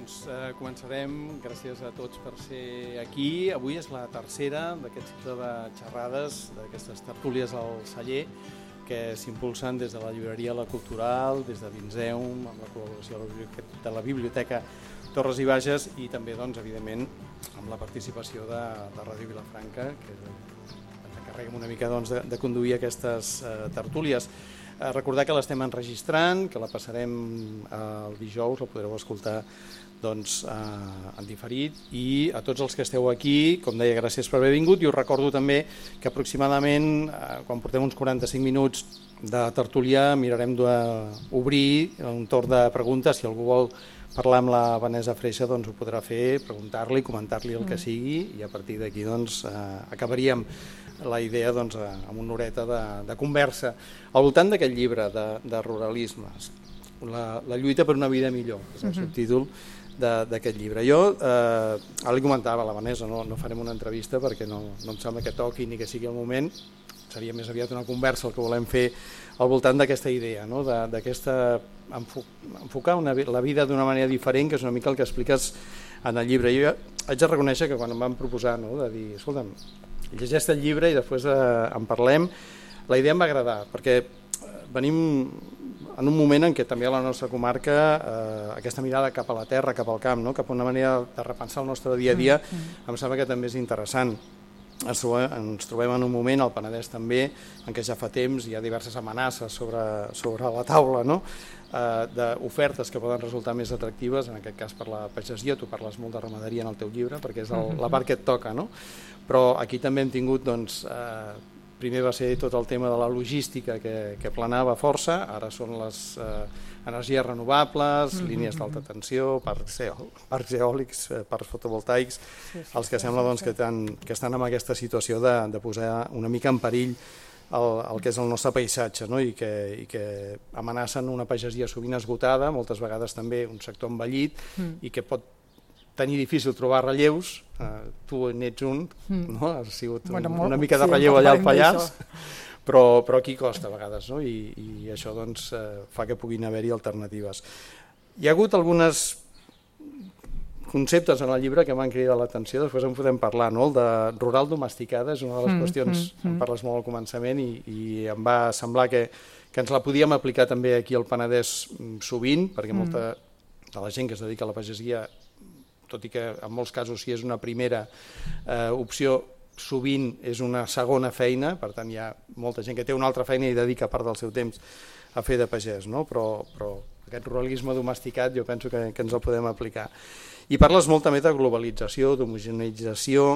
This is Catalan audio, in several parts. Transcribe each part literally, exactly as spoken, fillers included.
Doncs eh, començarem. Gràcies a tots per ser aquí. Avui és la tercera d'aquest cicle de xerrades, d'aquestes tertúlies al celler, que s'impulsen des de la llibreria La Cultural, des de l'Inseum, amb la col·laboració de la Biblioteca Torres i Bages i també, doncs, evidentment, amb la participació de, de Ràdio Vilafranca, que ens encarreguem una mica doncs, de, de conduir aquestes eh, tertúlies. Eh, recordar que l'estem enregistrant, que la passarem el dijous, la podreu escoltar doncs, eh, en diferit, i a tots els que esteu aquí, com deia, gràcies per haver vingut, i us recordo també que aproximadament, eh, quan portem uns quaranta-cinc minuts de tertúlia, mirarem d'obrir un torn de preguntes. Si algú vol parlar amb la Vanessa Freixa, doncs ho podrà fer, preguntar-li, comentar-li el que sigui, i a partir d'aquí doncs, eh, acabaríem la idea doncs, amb una horeta de, de conversa al voltant d'aquest llibre de, de ruralisme, la, la lluita per una vida millor, és el subtítol d'aquest llibre. Jo, eh, ara li comentava a la Vanessa, no, no farem una entrevista perquè no, no em sembla que toqui ni que sigui el moment, seria més aviat una conversa el que volem fer al voltant d'aquesta idea, no? d'aquesta enfocar una, la vida d'una manera diferent, que és una mica el que expliques en el llibre. Jo haig de reconèixer que quan em van proposar, no, de dir, escolta'm, llegeix el llibre i després eh, en parlem, la idea em va agradar, perquè venim en un moment en què també a la nostra comarca eh, aquesta mirada cap a la terra, cap al camp, no? Cap a una manera de repensar el nostre dia a dia, mm-hmm. em sembla que també és interessant. Ens trobem, ens trobem en un moment, al Penedès també, en què ja fa temps hi ha diverses amenaces sobre, sobre la taula, no? eh, d'ofertes que poden resultar més atractives, en aquest cas per la pagesia. Tu parles molt de ramaderia en el teu llibre perquè és el, la part que et toca, no? Però aquí també hem tingut, doncs, eh, primer va ser tot el tema de la logística que, que planava força, ara són les eh, energies renovables, mm-hmm. línies d'alta tensió, parcs, eò, parcs eòlics, eh, parcs fotovoltaics, sí, sí, els que sí, sembla doncs, sí. que, tan, que estan en aquesta situació de, de posar una mica en perill el, el que és el nostre paisatge, no? I, que, i que amenacen una pagesia sovint esgotada, moltes vegades també un sector envellit, mm. i que pot tenir difícil trobar relleus. Uh, tu n'ets un, mm. no? Has sigut bueno, un, una mica de relleu sí, allà al Pallars, però, però aquí costa a vegades, no? I, i això doncs, uh, fa que puguin haver-hi alternatives. Hi ha hagut alguns conceptes en el llibre que m'han cridat l'atenció, després en podem parlar, no? El de rural domesticada és una de les mm, qüestions, mm, mm. en parles molt al començament, i, i em va semblar que, que ens la podíem aplicar també aquí al Penedès sovint, perquè molta mm. de la gent que es dedica a la pagesia, tot i que en molts casos si és una primera eh, opció, sovint és una segona feina, per tant hi ha molta gent que té una altra feina i dedica part del seu temps a fer de pagès, no? però, però aquest ruralisme domesticat jo penso que, que ens el podem aplicar. I parles molt també de globalització, d'homogeneïtzació,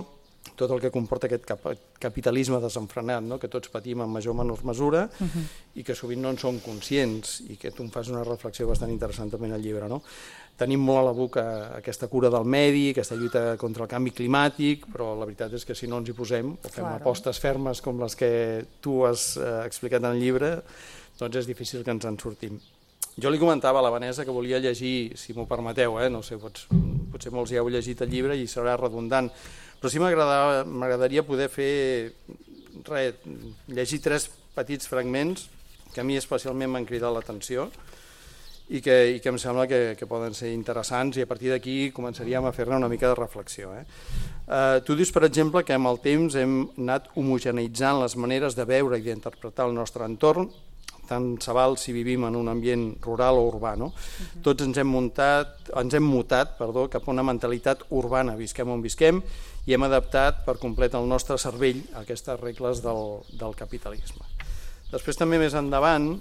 tot el que comporta aquest cap capitalisme desenfrenat, no? Que tots patim en major o menor mesura, uh-huh. i que sovint no en som conscients, i que tu em fas una reflexió bastant interessant també en el llibre, no? Tenim molt a la boca aquesta cura del medi, aquesta lluita contra el canvi climàtic, però la veritat és que si no ens hi posem, o fem claro. apostes fermes com les que tu has eh, explicat en el llibre, doncs és difícil que ens en sortim. Jo li comentava a la Vanessa que volia llegir, si m'ho permeteu, eh? No sé, pots, potser molts ja heu llegit el llibre i serà redundant, però sí m'agradaria poder fer, res, llegir tres petits fragments que a mi especialment m'han cridat l'atenció, i que, i que em sembla que, que poden ser interessants, i a partir d'aquí començaríem a fer-ne una mica de reflexió. Eh? Eh, tu dius, per exemple, que amb el temps hem anat homogeneïtzant les maneres de veure i d'interpretar el nostre entorn, tant se val si vivim en un ambient rural o urbà, no? Uh-huh. Tots ens hem, muntat, ens hem mutat perdó, cap a una mentalitat urbana, visquem on visquem, i hem adaptat per complet el nostre cervell a aquestes regles del, del capitalisme. Després també més endavant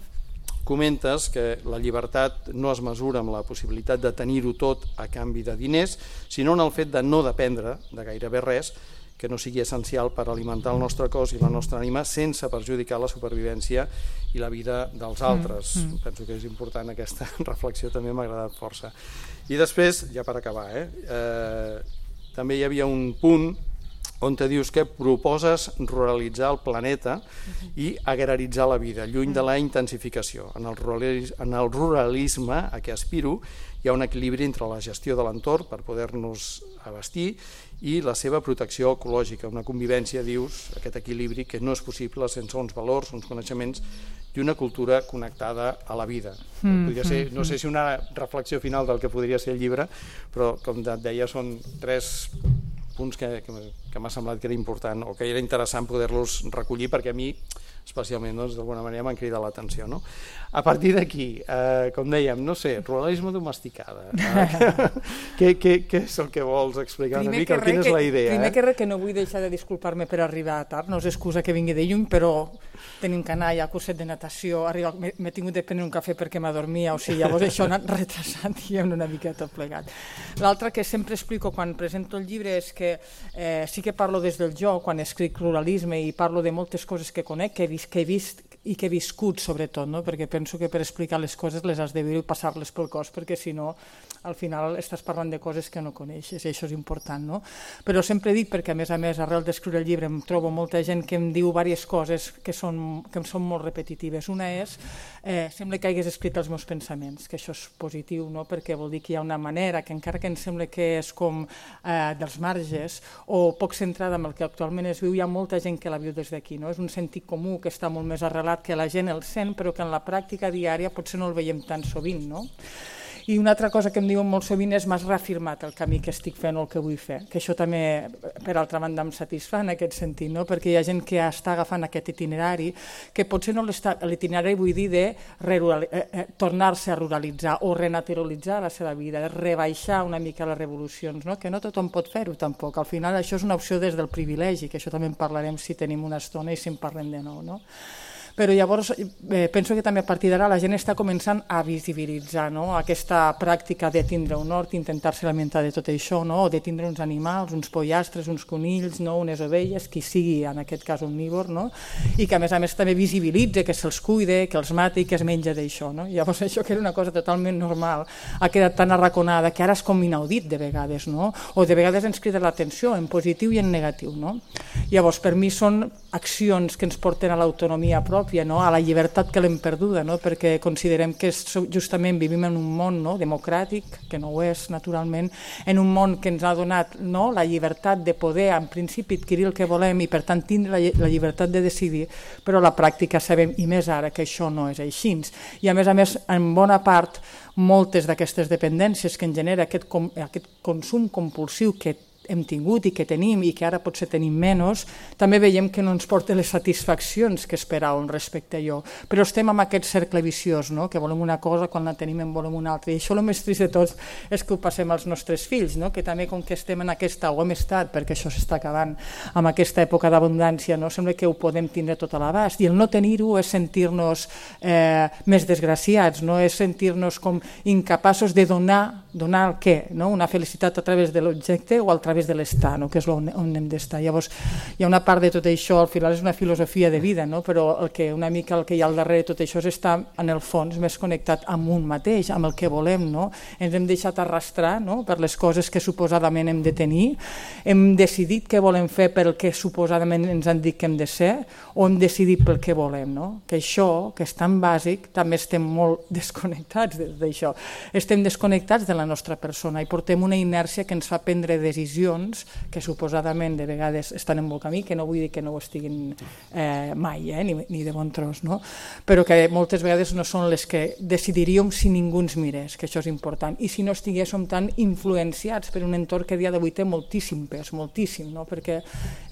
comentes que la llibertat no es mesura amb la possibilitat de tenir-ho tot a canvi de diners, sinó en el fet de no dependre de gairebé res que no sigui essencial per alimentar el nostre cos i la nostra ànima sense perjudicar la supervivència i la vida dels altres. Mm, mm. Penso que és important aquesta reflexió, també m'ha agradat força. I després, ja per acabar, eh, eh, també hi havia un punt on te dius que proposes ruralitzar el planeta i agraritzar la vida, lluny de la intensificació. En el ruralisme, en el ruralisme a què aspiro hi ha un equilibri entre la gestió de l'entorn per poder-nos abastir i la seva protecció ecològica, una convivència, dius, aquest equilibri que no és possible sense uns valors, uns coneixements i una cultura connectada a la vida. Mm, podria ser, no sé si una reflexió final del que podria ser el llibre, però com et deia són tres punts que, que, que m'ha semblat que era important o que era interessant poder-los recollir perquè a mi especialment doncs, d'alguna manera m'han cridat l'atenció. No? A partir d'aquí, eh, com dèiem, no sé, ruralisme domesticada. Eh? què, què, què és el que vols explicar una mica? Quina és la idea? Primer eh? que res, que no vull deixar de disculpar-me per arribar tard, no és excusa que vingui de lluny, però tenim canalla, curset de natació, m'he tingut de prendre un cafè perquè m'adormia, o sigui, llavors això ha anat retrasat i hem una mica tot plegat. L'altre que sempre explico quan presento el llibre és que eh, sí que parlo des del jo, quan escric ruralisme i parlo de moltes coses que conec, que he vist, que he vist i que he viscut sobretot, no? Perquè penso que per explicar les coses les has de viure i passar-les pel cos, perquè si no al final estàs parlant de coses que no coneixes i això és important, no? Però sempre dic, perquè a més a més arrel d'escriure el llibre em trobo molta gent que em diu diverses coses que són, que són molt repetitives. Una és, eh, sembla que hagués escrit els meus pensaments, que això és positiu, no? Perquè vol dir que hi ha una manera que encara que em sembla que és com eh, dels marges o poc centrada en el que actualment es viu, hi ha molta gent que la viu des d'aquí, no? És un sentit comú que està molt més arrelat, que la gent el sent, però que en la pràctica diària potser no el veiem tan sovint, no? I una altra cosa que em diuen molt sovint és m'has reafirmat el camí que estic fent o el que vull fer, que això també, per altra banda, em satisfà en aquest sentit, no? Perquè hi ha gent que està agafant aquest itinerari, que potser no l'itinerari vull dir de eh, eh, tornar-se a ruralitzar o renaturalitzar la seva vida, rebaixar una mica les revolucions, no? Que no tothom pot fer-ho tampoc, al final això és una opció des del privilegi, que això també en parlarem si tenim una estona i si en parlem de nou, no? Però llavors eh, penso que també a partir d'ara la gent està començant a visibilitzar, no? Aquesta pràctica de tindre un hort, intentar-se alimentar de tot això, no? O de tindre uns animals, uns pollastres, uns conills, no? Unes ovelles, qui sigui en aquest cas omnívor, no? I que a més a més també visibilitza, que se'ls cuide, que els mati i que es menja d'això, no? Llavors això que era una cosa totalment normal ha quedat tan arraconada que ara és com inaudit de vegades, no? O de vegades ens crida l'atenció en positiu i en negatiu, no? Llavors per mi són accions que ens porten a l'autonomia pròpia, no? A la llibertat que l'hem perduda, no? Perquè considerem que justament vivim en un món, no? Democràtic, que no ho és naturalment, en un món que ens ha donat, no? La llibertat de poder en principi adquirir el que volem i per tant tindre la, la llibertat de decidir, però a la pràctica sabem, i més ara, que això no és així. I a més a més, en bona part, moltes d'aquestes dependències que en genera aquest, com, aquest consum compulsiu que hem tingut i que tenim i que ara potser tenim menys, també veiem que no ens porta les satisfaccions que esperàvem respecte a allò. Però estem en aquest cercle viciós, no? Que volem una cosa, quan la tenim en volem una altra. I això el més trist de tot és que ho passem als nostres fills, no? Que també com que estem en aquesta, o hem estat, perquè això s'està acabant, amb aquesta època d'abundància, no? Sembla que ho podem tindre tot a l'abast. I el no tenir-ho és sentir-nos eh, més desgraciats, no? És sentir-nos com incapaços de donar, donar el què? No? Una felicitat a través de l'objecte o a través de l'estar, no? Que és on, on hem d'estar. Llavors, hi ha una part de tot això, al final és una filosofia de vida, no? Però el que, una mica el que hi ha al darrere de tot això és estar, en el fons, més connectat amb un mateix, amb el que volem, no? Ens hem deixat arrastrar, no? Per les coses que suposadament hem de tenir, hem decidit què volem fer pel que suposadament ens han dit que hem de ser, o hem decidit pel que volem, no? Que això, que és tan bàsic, també estem molt desconnectats d'això. Estem desconnectats de la nostra persona i portem una inèrcia que ens fa prendre decisions que suposadament de vegades estan en bon camí, que no vull dir que no ho estiguin eh, mai, eh, ni, ni de bon tros, no? Però que moltes vegades no són les que decidiríem si ningú ens mirés, que això és important, i si no estiguéssim tan influenciats per un entorn que a dia d'avui té moltíssim pes, moltíssim, no? Perquè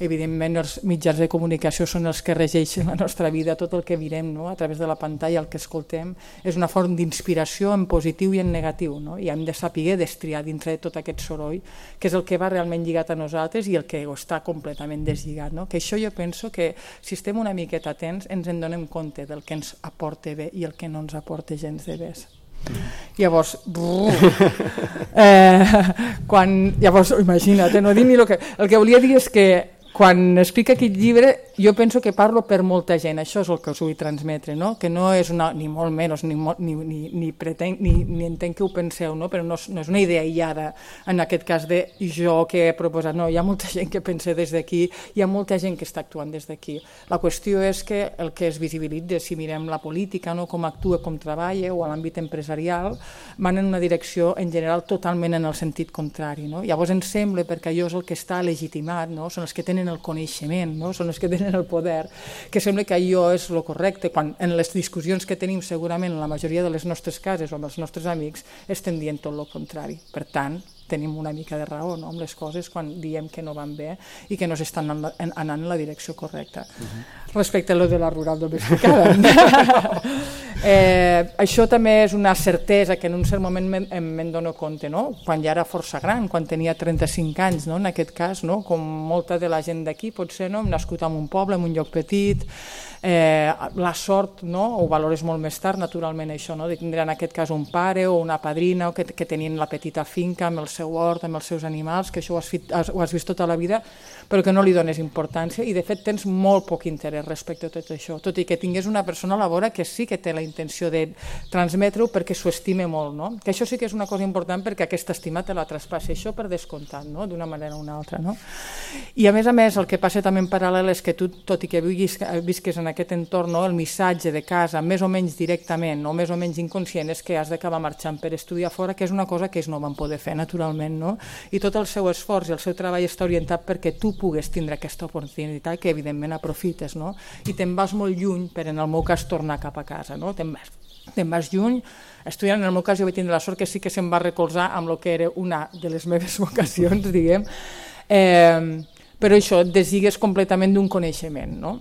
evidentment els mitjans de comunicació són els que regeixen la nostra vida, tot el que mirem, no? A través de la pantalla, el que escoltem, és una font d'inspiració en positiu i en negatiu, no? I hem de saber destriar dintre de tot aquest soroll, que és el que va realment lligat a nosaltres i el que està completament deslligat, no? Que això jo penso que si estem una miqueta atents ens en donem compte del que ens aporta bé i el que no ens aporta gens de bé. Llavors, eh, quan, llavors imagina't, no dir ni el que, el que volia dir és que quan explica aquest llibre, jo penso que parlo per molta gent, això és el que us vull transmetre, no? Que no és una, ni molt menys, ni, ni, ni, ni, pretenc, ni, ni entenc que ho penseu, no? Però no és, no és una idea aïllada, en aquest cas de jo que he proposat, no, hi ha molta gent que pensa des d'aquí, hi ha molta gent que està actuant des d'aquí. La qüestió és que el que es visibilitza, si mirem la política, no? Com actua, com treballa, o a l'àmbit empresarial, van en una direcció, en general, totalment en el sentit contrari, no? Llavors ens sembla, perquè allò és el que està legitimat, no? Són els que tenen el coneixement, no? Són els que tenen el poder, que sembla que allò és el correcte, quan en les discussions que tenim segurament en la majoria de les nostres cases o amb els nostres amics estem dient tot el contrari. Per tant, tenim una mica de raó, no? Amb les coses quan diem que no van bé i que no s'estan anant en la direcció correcta. Uh-huh. Respecte a lo de la rural domesticada. eh, això també és una certesa que en un cert moment me'n me dono compte, no? Quan ja era força gran, quan tenia trenta-cinc anys, no? En aquest cas, no? Com molta de la gent d'aquí, potser, no? Hem nascut en un poble, en un lloc petit, eh, la sort, no? Ho valores molt més tard, naturalment, això, no? De tindre en aquest cas un pare o una padrina o que, que tenien la petita finca amb el seu hort, amb els seus animals, que això ho has, fit, ho has vist tota la vida, però que no li dones importància i de fet tens molt poc interès respecte a tot això, tot i que tingués una persona a la vora que sí que té la intenció de transmetre-ho perquè s'ho estime molt, no? Que això sí que és una cosa important perquè aquesta estima te la traspassi, això per descomptat, no? D'una manera o una altra, no? I a més a més el que passa també en paral·lel és que tu, tot i que visques en aquest entorn, no? El missatge de casa, més o menys directament o més o menys inconscient, és que has d'acabar marxant per estudiar fora, que és una cosa que ells no van poder fer naturalment, no? I tot el seu esforç i el seu treball està orientat perquè tu pugues tindre aquesta oportunitat que evidentment aprofites, no? I te'n vas molt lluny per, en el meu cas, tornar cap a casa, no? Te'n vas, te'n vas lluny, estudiant, en el meu cas jo vaig tindre la sort que sí que se'm va recolzar amb el que era una de les meves vocacions, diguem, eh, però això, et desigues completament d'un coneixement, no?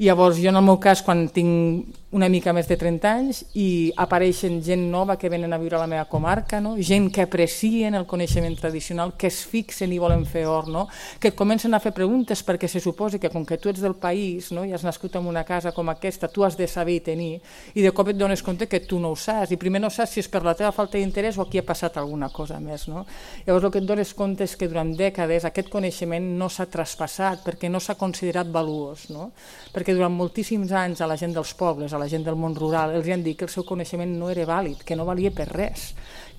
I llavors jo en el meu cas, quan tinc una mica més de trenta anys i apareixen gent nova que venen a viure a la meva comarca, no? Gent que aprecien el coneixement tradicional, que es fixen i volen fer or, no? Que et comencen a fer preguntes perquè se suposa que com que tu ets del país, no? I has nascut en una casa com aquesta, tu has de saber i tenir, i de cop et dones compte que tu no ho saps, i primer no saps si és per la teva falta d'interès o aquí ha passat alguna cosa més, no? Llavors el que et dones compte és que durant dècades aquest coneixement no s'ha traspassat perquè no s'ha considerat valuós, no? Perquè durant moltíssims anys a la gent dels pobles, a la gent del món rural, els han dit que el seu coneixement no era vàlid, que no valia per res,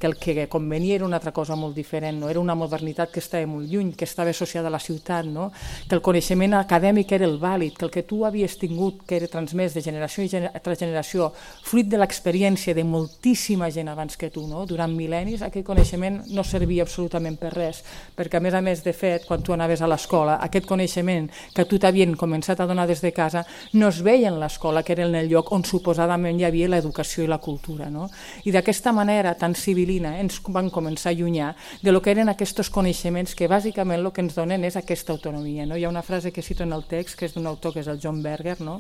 que el que convenia era una altra cosa molt diferent, no? Era una modernitat que estava molt lluny, que estava associada a la ciutat, no? Que el coneixement acadèmic era el vàlid, que el que tu havies tingut, que era transmès de generació tras generació, fruit de l'experiència de moltíssima gent abans que tu, no? Durant mil·lennis, aquest coneixement no servia absolutament per res, perquè a més a més, de fet, quan tu anaves a l'escola, aquest coneixement que tu t'havien començat a donar des de casa no es veia en l'escola, que era en el lloc on suposadament hi havia l'educació i la cultura, no? I d'aquesta manera tan civil ens van començar a allunyar de lo que eren aquests coneixements que bàsicament el que ens donen és aquesta autonomia, no? Hi ha una frase que cito en el text que és d'un autor que és el John Berger, no?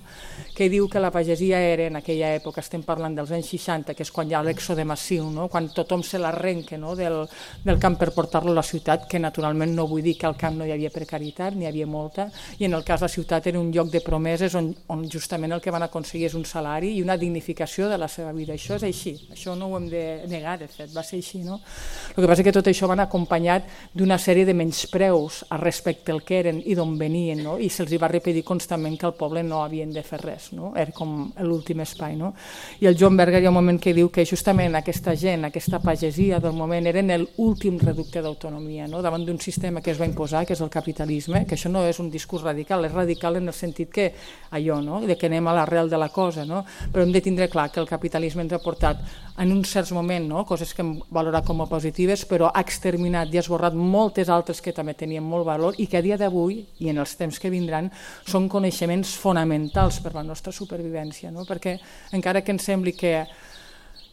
Que diu que la pagesia era en aquella època, estem parlant dels anys seixanta, que és quan hi ha l'èxode massiu, no? Quan tothom se l'arrenca, no? del, del camp per portar-lo a la ciutat, que naturalment no vull dir que al camp no hi havia precarietat, n'hi havia molta, i en el cas la ciutat era un lloc de promeses on, on justament el que van aconseguir és un salari i una dignificació de la seva vida. Això és així, això no ho hem de negar, de fet, va ser així, no? El que passa és que tot això van acompanyat d'una sèrie de menyspreus respecte al que eren i d'on venien, no? I se'ls va repetir constantment que al poble no havien de fer res, no? Era com l'últim espai, no? I el John Berger hi ha un moment que diu que justament aquesta gent, aquesta pagesia del moment eren l'últim reducte d'autonomia, no? Davant d'un sistema que es va imposar, que és el capitalisme, que això no és un discurs radical, és radical en el sentit que allò, no? De que anem a l'arrel de la cosa, no? Però hem de tindre clar que el capitalisme ens ha portat en un cert moment, no? Coses que hem valorat com a positives, però ha exterminat i ha esborrat moltes altres que també tenien molt valor i que a dia d'avui i en els temps que vindran són coneixements fonamentals per la nostra supervivència, no? Perquè encara que ens sembli que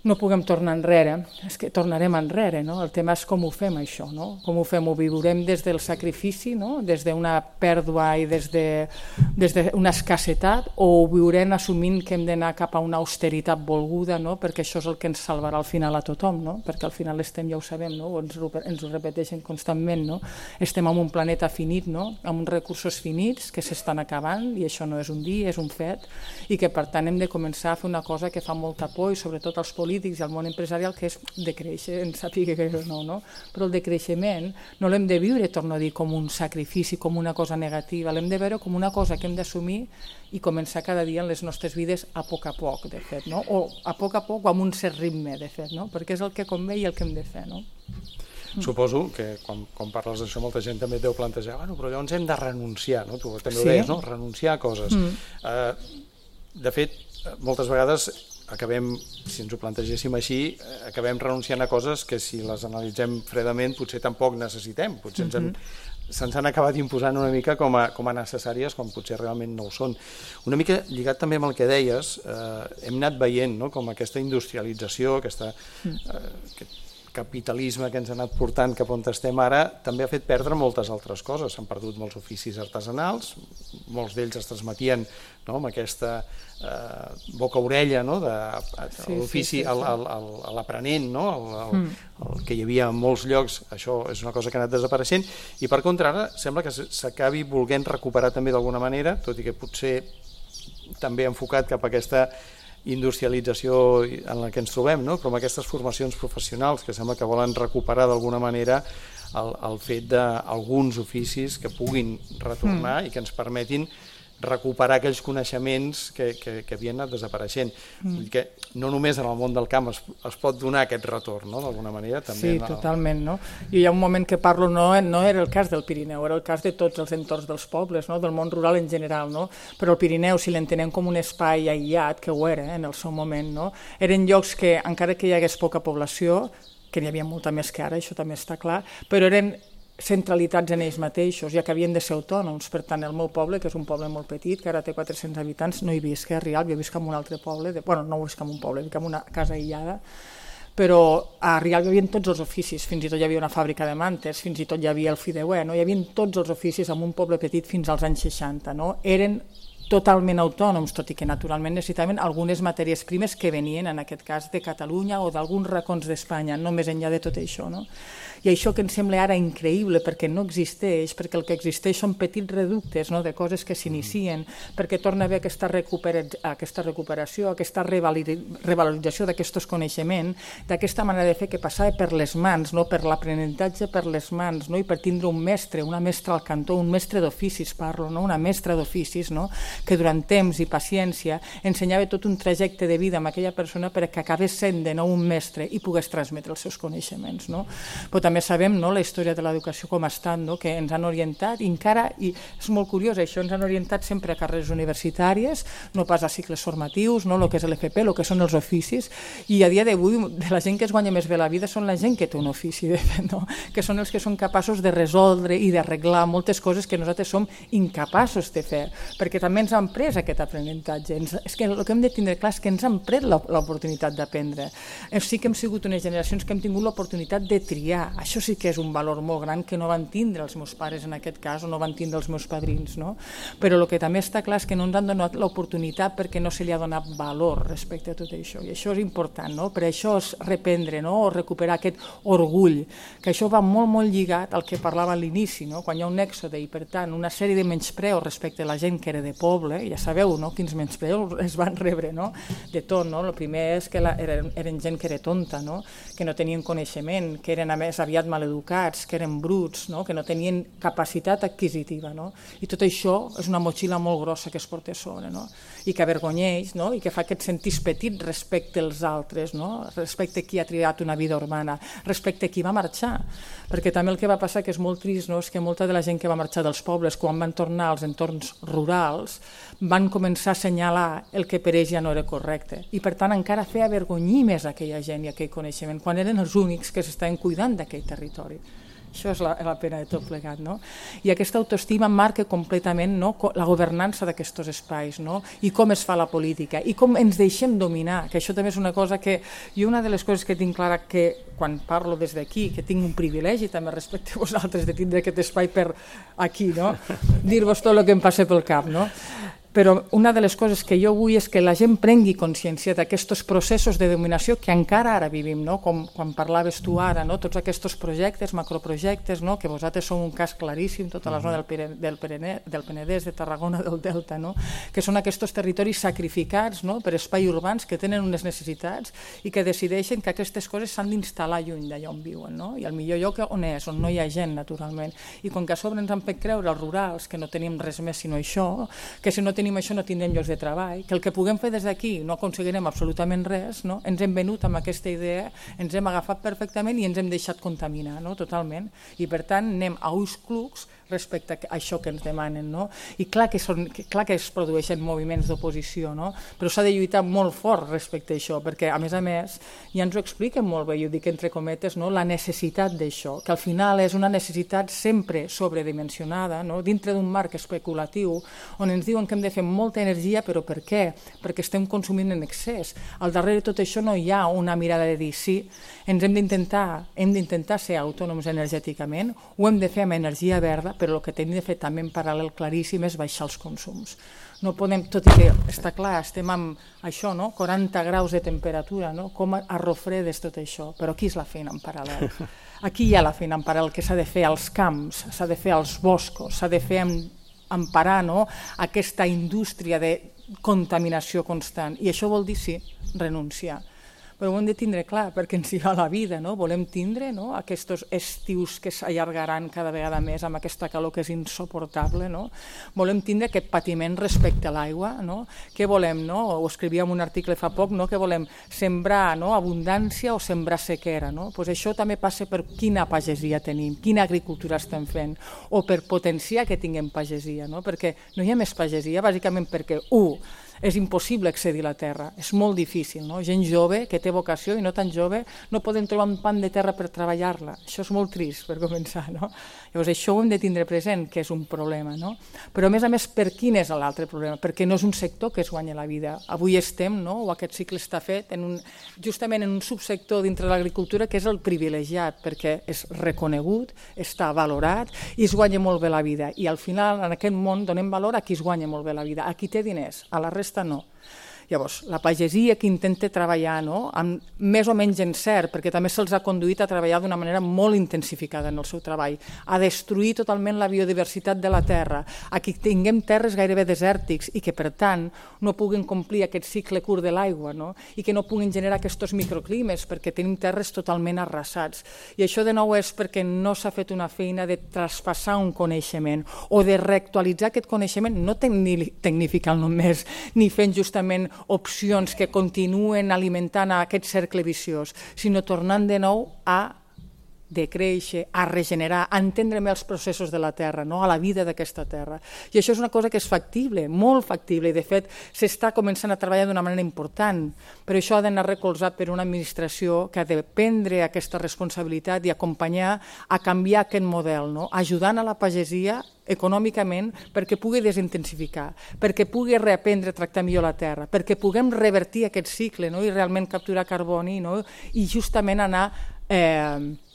no puguem tornar enrere, és que tornarem enrere, no? El tema és com ho fem això, no? Com ho fem? Ho viurem des del sacrifici, no? Des d'una pèrdua i des de, des d'una escassetat, o ho viurem assumint que hem d'anar cap a una austeritat volguda, no? Perquè això és el que ens salvarà al final a tothom, no? Perquè al final estem, ja ho sabem, no? Ens, ens ho repeteixen constantment, no? Estem en un planeta finit, no? Amb uns recursos finits que s'estan acabant, i això no és un dia, és un fet, i que per tant hem de començar a fer una cosa que fa molta por, i sobretot als polítics, polítics i al món empresarial, que és de créixer, en sàpiga que no, no? Però el decreixement no l'hem de viure, torno a dir, com un sacrifici, com una cosa negativa, l'hem de veure com una cosa que hem d'assumir i començar cada dia en les nostres vides a poc a poc, de fet, no? O a poc a poc o amb un cert ritme, de fet, no? Perquè és el que convé i el que hem de fer, no? Suposo que quan, quan parles d'això molta gent també et deu plantejar, bueno, però llavors hem de renunciar, no? Tu també ho Sí. deies, no? Renunciar a coses. Mm. Uh, de fet, moltes vegades acabem, si ens ho plantegéssim així, eh, acabem renunciant a coses que si les analitzem fredament potser tampoc necessitem, potser ens han, se'ns han acabat imposant una mica com a, com a necessàries quan potser realment no ho són. Una mica lligat també amb el que deies, eh, hem anat veient, no?, com aquesta industrialització, aquesta, eh, aquest capitalisme que ens ha anat portant cap on estem ara, també ha fet perdre moltes altres coses. S'han perdut molts oficis artesanals, molts d'ells es transmetien, no?, amb aquesta eh, boca-orella, no?, de Sí, l'ofici sí, sí, sí. a l'aprenent, no?, el, el, Mm. el que hi havia en molts llocs. Això és una cosa que ha anat desapareixent i per contra ara sembla que s'acabi volent recuperar també d'alguna manera, tot i que potser també enfocat cap a aquesta industrialització en la que ens trobem, no?, però amb aquestes formacions professionals que sembla que volen recuperar d'alguna manera el, el fet d'alguns oficis que puguin retornar mm. i que ens permetin recuperar aquells coneixements que, que, que havien anat desapareixent. Mm. Vull dir que no només en el món del camp es, es pot donar aquest retorn, no?, d'alguna manera. També Sí, en el... totalment, no? I hi ha un moment que parlo, no, no era el cas del Pirineu, era el cas de tots els entorns dels pobles, no?, del món rural en general, no? Però el Pirineu, si l'entenem com un espai aïllat, que ho era, eh, en el seu moment, no?, eren llocs que, encara que hi hagués poca població, que n'hi havia molta més que ara, això també està clar, però eren centralitats en ells mateixos, ja que havien de ser autònoms. Per tant, el meu poble, que és un poble molt petit, que ara té quatre-cents habitants, no hi visc a Rialp, jo visc en un altre poble, de... bueno, no visc en un poble, visc en una casa aïllada, però a Rialp hi havia tots els oficis, fins i tot hi havia una fàbrica de mantes, fins i tot hi havia el fideuer, no? Hi havia tots els oficis en un poble petit fins als anys seixanta, no? Eren totalment autònoms, tot i que naturalment necessitaven algunes matèries primes que venien, en aquest cas, de Catalunya o d'alguns racons d'Espanya, no més enllà de tot això, no? I això que ens sembla ara increïble perquè no existeix, perquè el que existeix són petits reductes, no?, de coses que s'inicien, perquè torna a haver aquesta, recupera, aquesta recuperació, aquesta revalorització d'aquests coneixements, d'aquesta manera de fer que passava per les mans, no?, per l'aprenentatge per les mans, no?, i per tindre un mestre, una mestra al cantó, un mestre d'oficis parlo, no?, una mestra d'oficis, no?, que durant temps i paciència ensenyava tot un trajecte de vida amb aquella persona perquè acabés sent de nou un mestre i pogués transmetre els seus coneixements, no? Però també sabem, no, la història de l'educació com ha estat, no?, que ens han orientat i encara, i és molt curiós això, ens han orientat sempre a carreres universitàries, no pas a cicles formatius, no, el que és l'F P, el que són els oficis, i a dia d'avui de la gent que es guanya més bé la vida són la gent que té un ofici, de fet, no?, que són els que són capaços de resoldre i d'arreglar moltes coses que nosaltres som incapaços de fer, perquè també ens han pres aquest aprenentatge. Ens, és que el que hem de tindre clar és que ens han pres l'oportunitat d'aprendre. Sí que hem sigut unes generacions que hem tingut l'oportunitat de triar. Això sí que és un valor molt gran que no van tindre els meus pares en aquest cas o no van tindre els meus padrins, no? Però el que també està clar és que no ens han donat l'oportunitat perquè no se li ha donat valor respecte a tot això. I això és important, no? Per això és reprendre, no?, o recuperar aquest orgull, que això va molt, molt lligat al que parlava a l'inici, no?, quan hi ha un èxode i, per tant, una sèrie de menyspreus respecte a la gent que era de poble, ja sabeu, no?, quins menyspreus es van rebre, no?, de tot, no? El primer és que la, eren, eren gent que era tonta, no?, que no tenien coneixement, que eren a més aviat maleducats, que eren bruts, no?, que no tenien capacitat adquisitiva, no? I tot això és una motxilla molt grossa que es porta a sobre, no?, i que avergonyeix, no?, i que fa que et sentis petit respecte als altres, no?, respecte a qui ha triat una vida urbana, respecte a qui va marxar, perquè també el que va passar, que és molt trist, no?, és que molta de la gent que va marxar dels pobles, quan van tornar als entorns rurals, van començar a assenyalar el que per ells ja no era correcte, i per tant encara fer avergonyir més aquella gent i aquell coneixement, quan eren els únics que s'estaven cuidant d'aquell territori. Això és la, la pena de tot plegat, no? I aquesta autoestima marca completament, no?, la governança d'aquests espais, no?, i com es fa la política, i com ens deixem dominar, que això també és una cosa que... I una de les coses que tinc clara que quan parlo des d'aquí, que tinc un privilegi també respecte a vosaltres de tindre aquest espai per aquí, no?, dir-vos tot el que em passa pel cap, no? però una de les coses que jo vull és que la gent prengui consciència d'aquests processos de dominació que encara ara vivim, no? Com quan parlaves tu ara, no? Tots aquests projectes, macroprojectes, no? Que vosaltres sou un cas claríssim, tota la zona del, Pere, del, Pere, del Penedès, de Tarragona, del Delta, no? Que són aquests territoris sacrificats, no? Per espais urbans que tenen unes necessitats i que decideixen que aquestes coses s'han d'instal·lar lluny d'allà on viuen, no? I el millor lloc on és, on no hi ha gent, naturalment. I com que a sobre ens han fet creure els rurals que no tenim res més sinó això, que si no tenim això no tindrem llocs de treball, que el que puguem fer des d'aquí no aconseguirem absolutament res, no? Ens hem venut amb aquesta idea, ens hem agafat perfectament i ens hem deixat contaminar, no? Totalment. I per tant anem a ulls clucs respecte a això que ens demanen, no? I clar que, són, clar que es produeixen moviments d'oposició, no? Però s'ha de lluitar molt fort respecte a això, perquè a més a més ja ens ho expliquen molt bé, jo dic entre cometes, no? La necessitat d'això, que al final és una necessitat sempre sobredimensionada, no? Dintre d'un marc especulatiu on ens diuen que hem de fer molta energia, però per què? Perquè estem consumint en excés. Al darrere de tot això no hi ha una mirada de dir sí, ens hem d'intentar hem d'intentar ser autònoms energèticament, ho hem de fer amb energia verda, però el que hem de fer també en paral·lel claríssim és baixar els consums. No podem, tot i que està clar, estem amb això, no? quaranta graus de temperatura, no? Com arrofredes tot això, però aquí és la feina en paral·lel. Aquí hi ha la feina en paral·lel que s'ha de fer als camps, s'ha de fer als boscos, s'ha de fer emparar, no? Aquesta indústria de contaminació constant. I això vol dir, sí, renunciar. Però ho hem de tindre clar, perquè ens hi va la vida, no? Volem tindre, no? Aquests estius que s'allargaran cada vegada més amb aquesta calor que és insuportable, no? Volem tindre aquest patiment respecte a l'aigua, no? Què volem, no? Ho escrivíem un article fa poc, no? Que volem sembrar, no? Abundància o sembrar sequera, no? Pues això també passa per quina pagesia tenim, quina agricultura estem fent, o per potenciar que tinguem pagesia, no? Perquè no hi ha més pagesia, bàsicament perquè, u, és impossible accedir a la terra, és molt difícil, no? Gent jove que té vocació i no tan jove no poden trobar un pan de terra per treballar-la, això és molt trist per començar, no? Llavors això ho hem de tindre present, que és un problema, no? Però a més a més, per quin és l'altre problema? Perquè no és un sector que es guanya la vida. Avui estem, no? O aquest cicle està fet en un, justament en un subsector dintre de l'agricultura que és el privilegiat, perquè és reconegut, està valorat i es guanya molt bé la vida. I al final, en aquest món, donem valor a qui es guanya molt bé la vida, a qui té diners, a la resta no. Llavors, la pagesia que intenta treballar, no? Amb més o menys encert, perquè també se'ls ha conduït a treballar d'una manera molt intensificada en el seu treball, a destruir totalment la biodiversitat de la terra, a que tinguem terres gairebé desèrtics i que, per tant, no puguin complir aquest cicle curt de l'aigua, no? I que no puguin generar aquests microclimes, perquè tenim terres totalment arrasats. I això, de nou, és perquè no s'ha fet una feina de traspassar un coneixement o de reactualitzar aquest coneixement, no tecnificant només, ni fent justament opcions que continuen alimentant aquest cercle viciós, sinó tornant de nou a decréixer, a regenerar, a entendre més els processos de la terra, no? A la vida d'aquesta terra. I això és una cosa que és factible, molt factible, i de fet s'està començant a treballar d'una manera important, però això ha d'anar recolzat per una administració que ha de prendre aquesta responsabilitat i acompanyar a canviar aquest model, no? Ajudant a la pagesia econòmicament perquè pugui desintensificar, perquè pugui reaprendre a tractar millor la terra, perquè puguem revertir aquest cicle, no? I realment capturar carboni, no? I justament anar eh,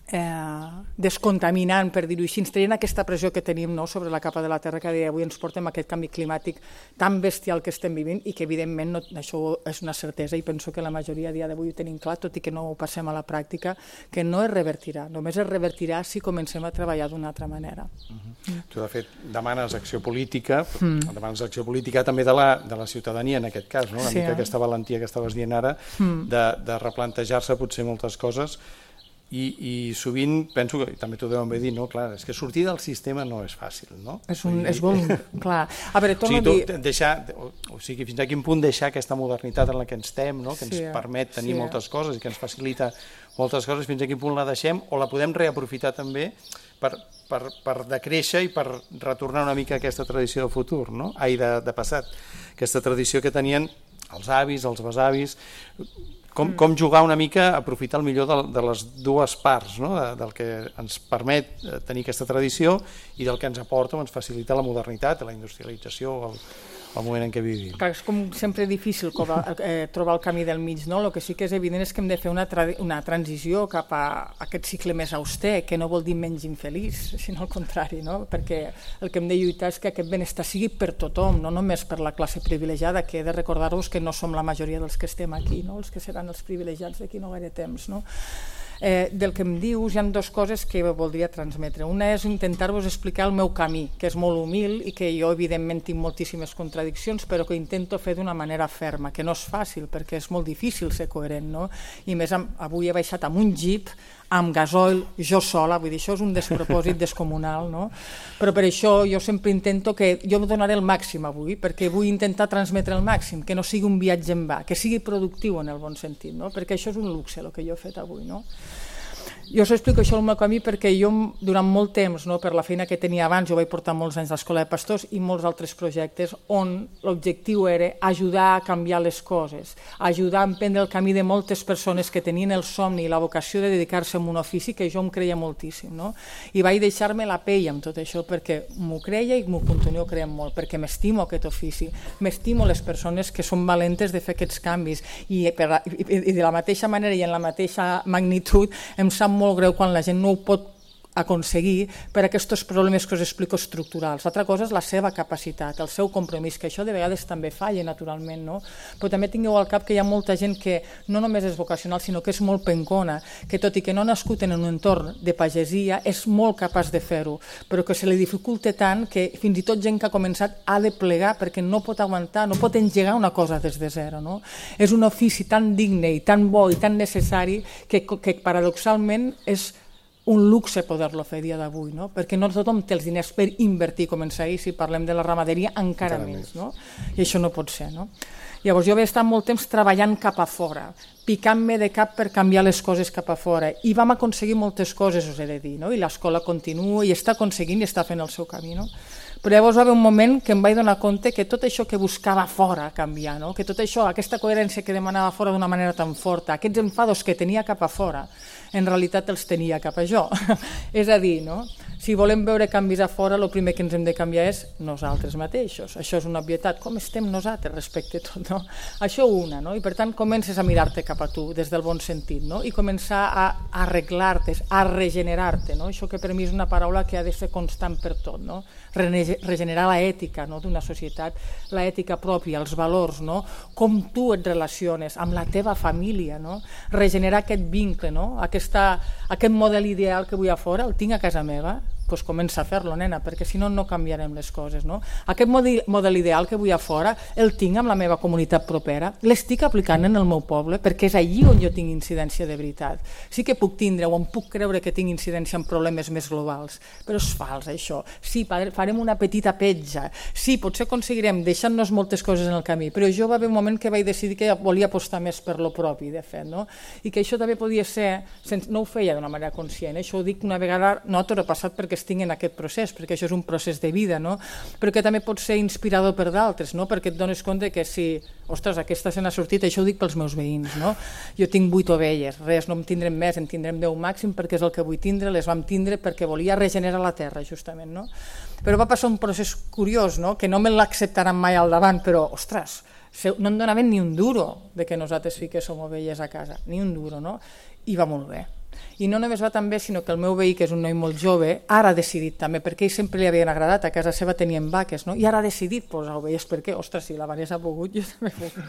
Eh, descontaminant, per dir-ho així, ens traient aquesta pressió que tenim, no? Sobre la capa de la terra que avui ens portem aquest canvi climàtic tan bestial que estem vivint i que evidentment no, això és una certesa i penso que la majoria a dia d'avui ho tenim clar, tot i que no ho passem a la pràctica, que no es revertirà, només es revertirà si comencem a treballar d'una altra manera. Uh-huh. mm. Tu de fet demanes acció política, mm. demanes acció política també de la, de la ciutadania en aquest cas, no? Una sí, mica eh? Aquesta valentia que estaves dient ara mm. de, de replantejar-se potser moltes coses. I, i sovint penso, que també t'ho deuen bé dir, no? Clar, és que sortir del sistema no és fàcil, no? És, un, és bon, clar. A veure, torno o sigui, a dir... Deixar, o, o sigui, fins a quin punt deixar aquesta modernitat en la que ens estem, no? Que ens sí, permet tenir sí. moltes coses i que ens facilita moltes coses, fins a quin punt la deixem o la podem reaprofitar també per, per, per decréixer i per retornar una mica a aquesta tradició del futur, no? Ai, de, de passat. Aquesta tradició que tenien els avis, els besavis... Com, com jugar una mica, aprofitar el millor de, de les dues parts, no? de, del que ens permet tenir aquesta tradició i del que ens aporta o ens facilita la modernitat, la industrialització, el, el moment en què vivim. Clar, és com sempre difícil eh, trobar el camí del mig, no? El que sí que és evident és que hem de fer una, tra una transició cap a aquest cicle més auster, que no vol dir menys infeliç, sinó al contrari, no? Perquè el que hem de lluitar és que aquest benestar sigui per tothom, no només per la classe privilegiada, que he de recordar-vos que no som la majoria dels que estem aquí, no? Els que seran els privilegiats d'aquí no gaire temps, no? Eh, del que em dius hi ha dues coses que voldria transmetre. Una és intentar-vos explicar el meu camí, que és molt humil i que jo evidentment tinc moltíssimes contradiccions, però que intento fer d'una manera ferma, que no és fàcil perquè és molt difícil ser coherent, no? I més avui he baixat amb un jeep amb gasoil, jo sola, vull dir, això és un despropòsit descomunal, no? Però per això jo sempre intento que jo em donaré el màxim avui, perquè vull intentar transmetre el màxim, que no sigui un viatge en va, que sigui productiu en el bon sentit, no? Perquè això és un luxe, el que jo he fet avui, no? Jo us explico això el meu camí perquè jo durant molt temps, no, per la feina que tenia abans, jo vaig portar molts anys a l'Escola de Pastors i molts altres projectes on l'objectiu era ajudar a canviar les coses, ajudar a emprendre el camí de moltes persones que tenien el somni i la vocació de dedicar-se a un ofici que jo em creia moltíssim, no? I vaig deixar-me la pell amb tot això perquè m'ho creia i m'ho continuo creient molt, perquè m'estimo aquest ofici, m'estimo les persones que són valentes de fer aquests canvis i, per, i de la mateixa manera i en la mateixa magnitud em sap molt greu quan la gent no ho pot aconseguir per aquests problemes que us explico estructurals. L'altra cosa és la seva capacitat, el seu compromís, que això de vegades també falla naturalment, no? Però també tingueu al cap que hi ha molta gent que no només és vocacional, sinó que és molt pencona, que tot i que no ha nascut en un entorn de pagesia, és molt capaç de fer-ho, però que se li dificulta tant que fins i tot gent que ha començat ha de plegar perquè no pot aguantar, no pot engegar una cosa des de zero, no? És un ofici tan digne i tan bo i tan necessari que, que paradoxalment és un luxe poder-lo fer a dia d'avui, no? Perquè no tothom té els diners per invertir, començar ahir, si parlem de la ramaderia, encara, encara més, no? I això no pot ser, no? Llavors jo vaig estar molt temps treballant cap a fora, picant-me de cap per canviar les coses cap a fora, i vam aconseguir moltes coses, us he de dir, no? I l'escola continua i està aconseguint i està fent el seu camí, no? Però llavors va haver un moment que em vaig donar compte que tot això que buscava fora canviar, no? Que tot això, aquesta coherència que demanava fora d'una manera tan forta, aquests enfados que tenia cap a fora, en realitat els tenia cap a jo. És a dir, no? Si volem veure canvis a fora, el primer que ens hem de canviar és nosaltres mateixos. Això és una obvietat. Com estem nosaltres respecte a tot, no? Això una, no? I per tant comences a mirar-te cap a tu des del bon sentit, no? I començar a arreglar-te, a regenerar-te, no? Això que per mi és una paraula que ha de ser constant per tot, no? Regenerar l'ètica, no? D'una societat, l'ètica pròpia, els valors, no? Com tu et relaciones amb la teva família, no? Regenerar aquest vincle, no? Aquesta, aquest model ideal que vull a fora, el tinc a casa meva, doncs comença a fer-lo, nena, perquè si no, no canviarem les coses, no? Aquest model ideal que vull a fora el tinc amb la meva comunitat propera, l'estic aplicant en el meu poble, perquè és allí on jo tinc incidència de veritat. Sí que puc tindre o em puc creure que tinc incidència en problemes més globals, però és fals, això. Sí, farem una petita petja, sí, potser aconseguirem deixant-nos moltes coses en el camí, però jo va haver un moment que vaig decidir que volia apostar més per lo propi, de fet, no? I que això també podia ser, no ho feia d'una manera conscient, això ho dic una vegada, no a tot ha passat perquè estic en aquest procés, perquè això és un procés de vida, no? Però que també pot ser inspirador per d'altres, no? Perquè et dones compte que si, ostres, aquesta se n'ha sortit, això ho dic pels meus veïns, no? Jo tinc vuit ovelles, res, no en tindrem més, en tindrem deu màxim perquè és el que vull tindre, les vam tindre perquè volia regenerar la terra, justament, no? Però va passar un procés curiós, no? Que no me l'acceptaran mai al davant, però, ostres, no em donaven ni un duro de que nosaltres fiquéssim ovelles a casa, ni un duro, no? I va molt bé. I no només va tan bé, sinó que el meu veí, que és un noi molt jove, ara ha decidit també, perquè ell sempre li havien agradat, a casa seva tenien vaques, no? I ara ha decidit posar ovelles, perquè, ostres, si la Vanessa ha pogut, jo també puc.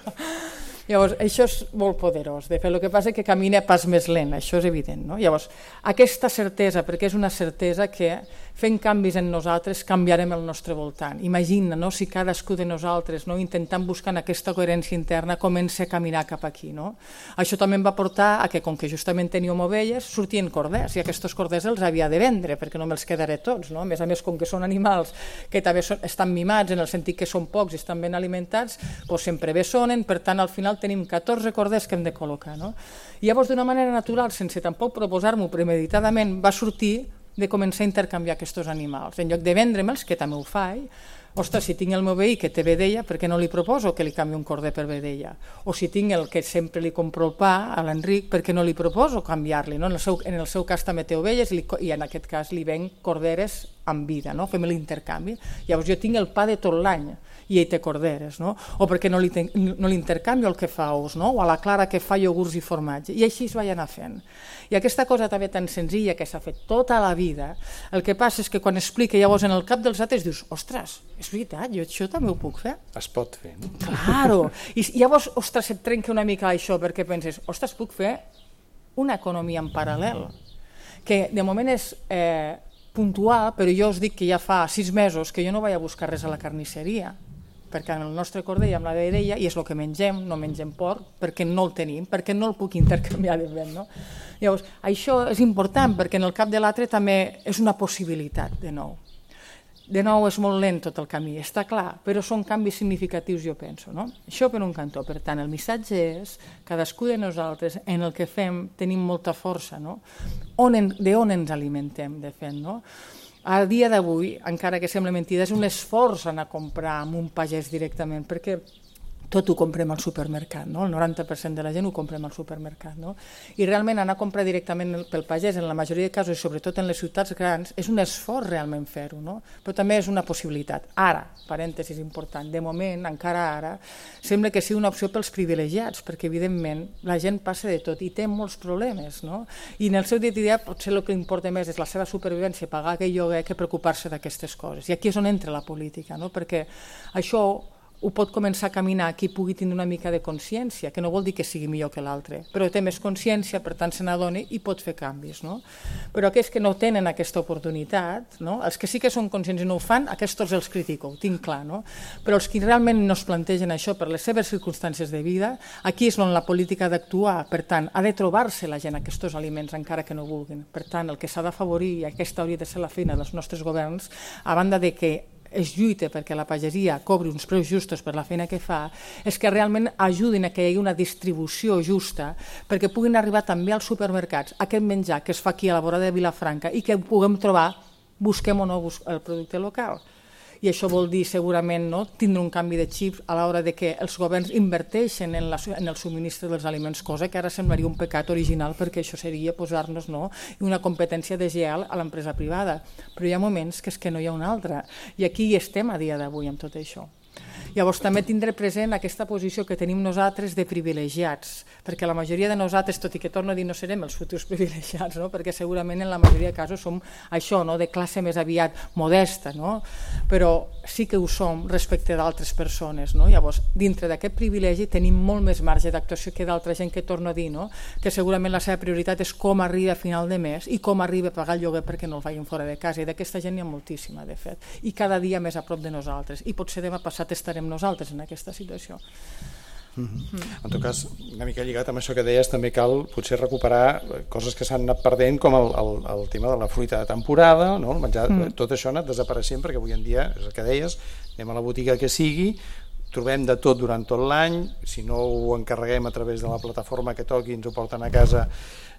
Llavors, això és molt poderós, de fet, el que passa és que camina pas més lent, això és evident, no? Llavors, aquesta certesa, perquè és una certesa que fent canvis en nosaltres canviarem el nostre voltant. Imagina, no? Si cadascú de nosaltres, no? Intentant buscar aquesta coherència interna, comença a caminar cap aquí, no? Això també em va portar a que, com que justament teníem ovelles, sortien corders, i aquests corders els havia de vendre, perquè no me'ls quedaré tots, no? A més a més, com que són animals que també són, estan mimats, en el sentit que són pocs i estan ben alimentats, doncs sempre bé sonen, per tant, al final tenim catorze corders que hem de col·locar, no? I llavors, d'una manera natural, sense tampoc proposar-m'ho premeditadament, va sortir de començar a intercanviar aquests animals. En lloc de vendre-me'ls, que també ho faig, ostres, si tinc el meu veí que té vedella, per què no li proposo que li canvi un corder per vedella? O si tinc el que sempre li compro el pa, a l'Enric, per què no li proposo canviar-li? No? En, el seu, en el seu cas també té ovelles i, li, i en aquest cas li venc corderes amb vida, no? Fem l'intercanvi. Llavors jo tinc el pa de tot l'any i ell té corderes, no? O perquè no li, ten, no li intercanvio el que fa ous, no? O a la Clara que fa iogurts i formatge, i així es vaig anar fent. I aquesta cosa també tan senzilla que s'ha fet tota la vida, el que passa és que quan explica llavors en el cap dels altres dius, ostres, és veritat, jo això també ho puc fer. Es pot fer, no? Claro, i llavors, ostres, et trenca una mica això perquè penses, ostres, puc fer una economia en paral·lel, que de moment és eh, puntual, però jo us dic que ja fa sis mesos que jo no vaig a buscar res a la carnisseria, perquè en el nostre cordell amb la vedella, i és el que mengem, no mengem porc, perquè no el tenim, perquè no el puc intercanviar de vent, no? Llavors, això és important, perquè en el cap de l'altre també és una possibilitat, de nou. De nou, és molt lent tot el camí, està clar, però són canvis significatius, jo penso, no? Això per un cantó. Per tant, el missatge és, cadascú de nosaltres, en el que fem, tenim molta força, no? On en, de on ens alimentem, de fet, no? A dia d'avui, encara que sembla mentida, és un esforç anar a comprar amb un pagès directament, perquè tot ho comprem al supermercat, no? El noranta per cent de la gent ho comprem al supermercat, no? I realment anar a comprar directament pel pagès, en la majoria de casos, i sobretot en les ciutats grans, és un esforç realment fer-ho, no? Però també és una possibilitat. Ara, parèntesis important, de moment, encara ara, sembla que sigui una opció pels privilegiats, perquè evidentment la gent passa de tot i té molts problemes, no? I en el seu dia a dia potser el que importa més és la seva supervivència, pagar aquell lloguer, que preocupar-se d'aquestes coses. I aquí és on entra la política, no? Perquè això ho pot començar a caminar qui pugui tenir una mica de consciència, que no vol dir que sigui millor que l'altre, però té més consciència, per tant se n'adona i pot fer canvis, no? Però aquells que no tenen aquesta oportunitat, no? Els que sí que són conscients i no ho fan, aquests els critico, ho tinc clar, no? Però els que realment no es plantegen això per les seves circumstàncies de vida, aquí és on la política ha d'actuar, per tant, ha de trobar-se la gent aquests aliments encara que no vulguin. Per tant, el que s'ha d'afavorir, i aquesta hauria de ser la feina dels nostres governs, a banda de que es lluita perquè la pagesia cobri uns preus justos per la feina que fa, és que realment ajudin a que hi hagi una distribució justa perquè puguin arribar també als supermercats aquest menjar que es fa aquí a la vora de Vilafranca i que puguem trobar, busquem o no el producte local. I això vol dir segurament no, tindre un canvi de xip a l'hora de que els governs inverteixen en, la, en el subministre dels aliments, cosa que ara semblaria un pecat original perquè això seria posar-nos no, una competència deslleial a l'empresa privada. Però hi ha moments que és que no hi ha una altra i aquí hi estem a dia d'avui amb tot això. Llavors també tindré present aquesta posició que tenim nosaltres de privilegiats, perquè la majoria de nosaltres, tot i que torno a dir no serem els futurs privilegiats, no? Perquè segurament en la majoria de casos som això, no? De classe més aviat modesta, no? Però sí que ho som respecte d'altres persones, no? Llavors, dintre d'aquest privilegi tenim molt més marge d'actuació que d'altra gent que torno a dir, no? Que segurament la seva prioritat és com arriba a final de mes i com arriba a pagar el lloguer perquè no el facin fora de casa, i d'aquesta gent n'hi ha moltíssima, de fet, i cada dia més a prop de nosaltres, i potser demà passat estarem nosaltres en aquesta situació. Mm-hmm. Mm. En tot cas, una mica lligat amb això que deies, també cal potser recuperar coses que s'han anat perdent, com el, el, el tema de la fruita de temporada, no? El menjar, mm. Tot això ha anat desapareixent perquè avui en dia, és el que deies, anem a la botiga que sigui, trobem de tot durant tot l'any, si no ho encarreguem a través de la plataforma que toqui, ens ho porten a casa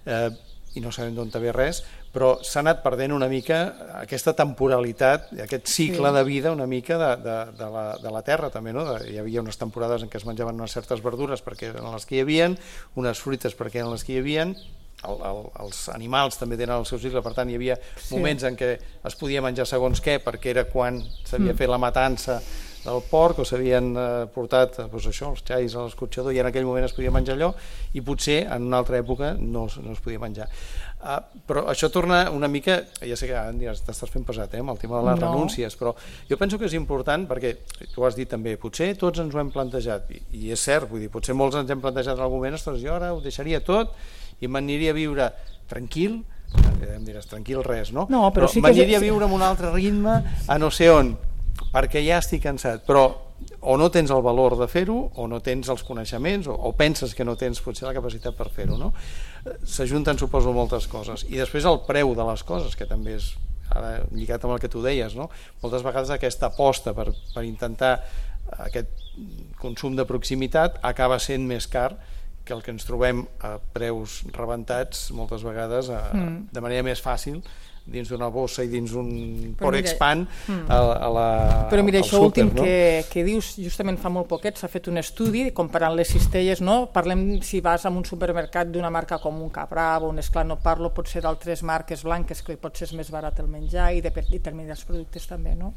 eh, i no sabem d'on ve res, però s'ha anat perdent una mica aquesta temporalitat, aquest cicle sí. de vida una mica de, de, de, la, de la terra també, no? Hi havia unes temporades en què es menjaven unes certes verdures perquè eren les que hi havien, unes fruites perquè eren les que hi havien, el, el, els animals també tenen el seu cicle, per tant hi havia sí. moments en què es podia menjar segons què perquè era quan s'havia mm. fet la matança del porc o s'havien eh, portat doncs això, els xais a l'escorxador i en aquell moment es podia menjar allò i potser en una altra època no, no es podia menjar. Uh, però això torna una mica, ja sé que ara t'estàs fent pesat eh, amb el tema de les no. renúncies, però jo penso que és important perquè, tu ho has dit també, potser tots ens ho hem plantejat i, i és cert, vull dir, potser molts ens hem plantejat en algun moment, ostres, jo ara ho deixaria tot i m'aniria a viure tranquil, em diràs, tranquil res, no? No, però, però sí m'aniria que... a viure amb un altre ritme a no sé on, perquè ja estic cansat, però o no tens el valor de fer-ho o no tens els coneixements o, o penses que no tens potser la capacitat per fer-ho, no? S'ajunten, suposo, moltes coses i després el preu de les coses, que també és ara lligat amb el que tu deies, no? Moltes vegades aquesta aposta per, per intentar aquest consum de proximitat acaba sent més car que el que ens trobem a preus rebentats moltes vegades a, mm. de manera més fàcil dins d'una bossa i dins un Però mira, Porexpan mm. a, a la, Però mira, al això súper, últim no? que, que dius, justament fa molt poquet s'ha fet un estudi comparant les cistelles, no? Parlem si vas a un supermercat d'una marca com un Capravo, un Esclar, no parlo potser d'altres marques blanques que potser és més barat el menjar i de determinats productes també, no?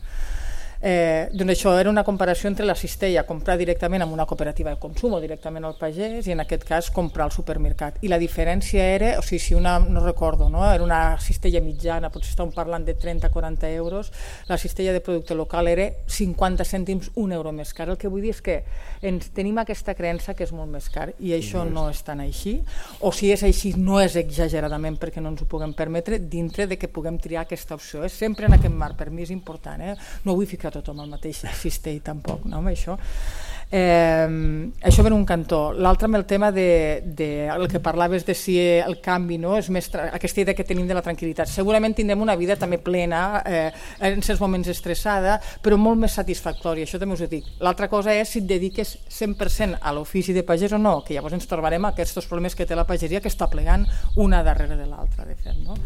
Eh, doncs això era una comparació entre la cistella, comprar directament amb una cooperativa de consum o directament al pagès i en aquest cas comprar al supermercat. I la diferència era, o sigui, si una, no recordo, no? Era una cistella mitjana, potser estàvem parlant de trenta a quaranta euros, la cistella de producte local era cinquanta cèntims, un euro més car. El que vull dir és que ens tenim aquesta creença que és molt més car i això no és tan així, o si és així no és exageradament perquè no ens ho puguem permetre dintre de que puguem triar aquesta opció. És sempre en aquest marc, per mi és important, eh? No vull ficar tothom al mateix cistell tampoc, no, amb això. Eh, això per un cantó. L'altre amb el tema de, de el que parlaves de si el canvi, no, és més aquesta idea que tenim de la tranquil·litat. Segurament tindrem una vida també plena, eh, en certs moments estressada, però molt més satisfactòria, això també us ho dic. L'altra cosa és si et dediques cent per cent a l'ofici de pagès o no, que llavors ens trobarem aquests problemes que té la pagesia que està plegant una darrere de l'altra, de fet, no?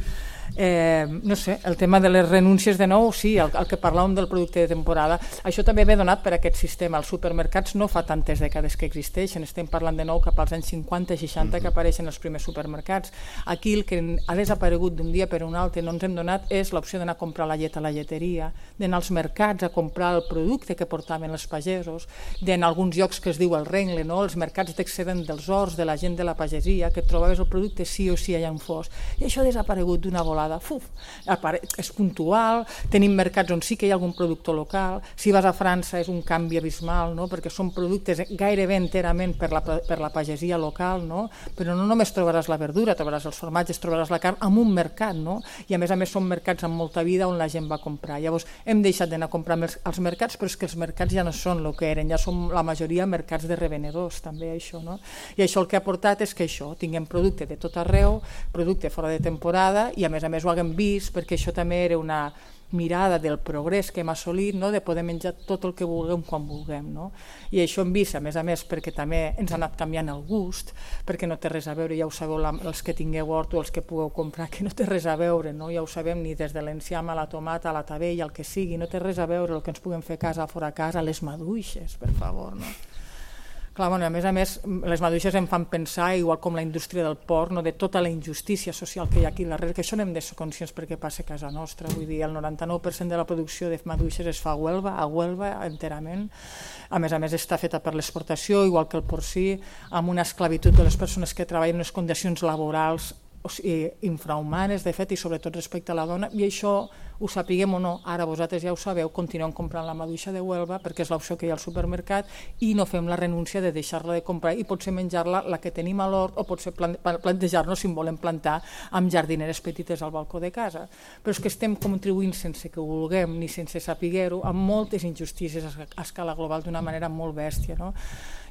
Eh, no sé, el tema de les renúncies de nou, sí, el, el que parlàvem del producte de temporada, això també ve donat per aquest sistema. Els supermercats no fa tantes dècades que existeixen, estem parlant de nou cap als anys cinquanta i seixanta que apareixen els primers supermercats. Aquí el que ha desaparegut d'un dia per un altre, no ens hem donat, és l'opció d'anar a comprar la llet a la lleteria, d'anar als mercats a comprar el producte que portaven els pagesos, d'anar a alguns llocs que es diu el rengle, no? Els mercats d'excedent dels horts, de la gent de la pagesia, que trobaves el producte sí o sí allà on fos. I això ha desaparegut d'una volada. Fuf, és puntual, tenim mercats on sí que hi ha algun productor local, si vas a França és un canvi abismal, no? Perquè són productes gairebé enterament per la, per la pagesia local, no? Però no només trobaràs la verdura, trobaràs els formatges, trobaràs la carn en un mercat, no? I a més a més són mercats amb molta vida on la gent va a comprar. Llavors hem deixat d'anar a comprar als mercats, però és que els mercats ja no són el que eren, ja són la majoria mercats de revenedors també, això, no? I això el que ha portat és que això, tinguem producte de tot arreu, producte fora de temporada i a més a més ho haguem vist, perquè això també era una mirada del progrés que hem assolit, no? De poder menjar tot el que vulguem quan vulguem, no? I això hem vist, a més a més, perquè també ens ha anat canviant el gust, perquè no té res a veure, ja ho sabeu, la, els que tingueu hort o els que pugueu comprar, que no té res a veure, no? Ja ho sabem, ni des de l'enciam a la tomata, a la tabella, el que sigui, no té res a veure el que ens puguem fer a casa, fora a casa, les maduixes, per favor, no? Clar, bueno, a més a més, les maduixes em fan pensar, igual com la indústria del porc, no, de tota la injustícia social que hi ha aquí darrere, que això n'hem de ser conscients perquè passa a casa nostra. Vull dir, el noranta-nou per cent de la producció de maduixes es fa a Huelva, a Huelva enterament. A més a més està feta per l'exportació, igual que el porcí, amb una esclavitud de les persones que treballen en unes condicions laborals o sigui, infrahumanes, de fet, i sobretot respecte a la dona, i això ho sapiguem o no, ara vosaltres ja ho sabeu, continuem comprant la maduixa de Huelva perquè és l'opció que hi ha al supermercat i no fem la renúncia de deixar-la de comprar i potser menjar-la la que tenim a l'hort o potser plantejar-nos si en volem plantar amb jardineres petites al balcó de casa. Però és que estem contribuint sense que ho vulguem ni sense saber-ho amb moltes injustícies a escala global d'una manera molt bèstia, no?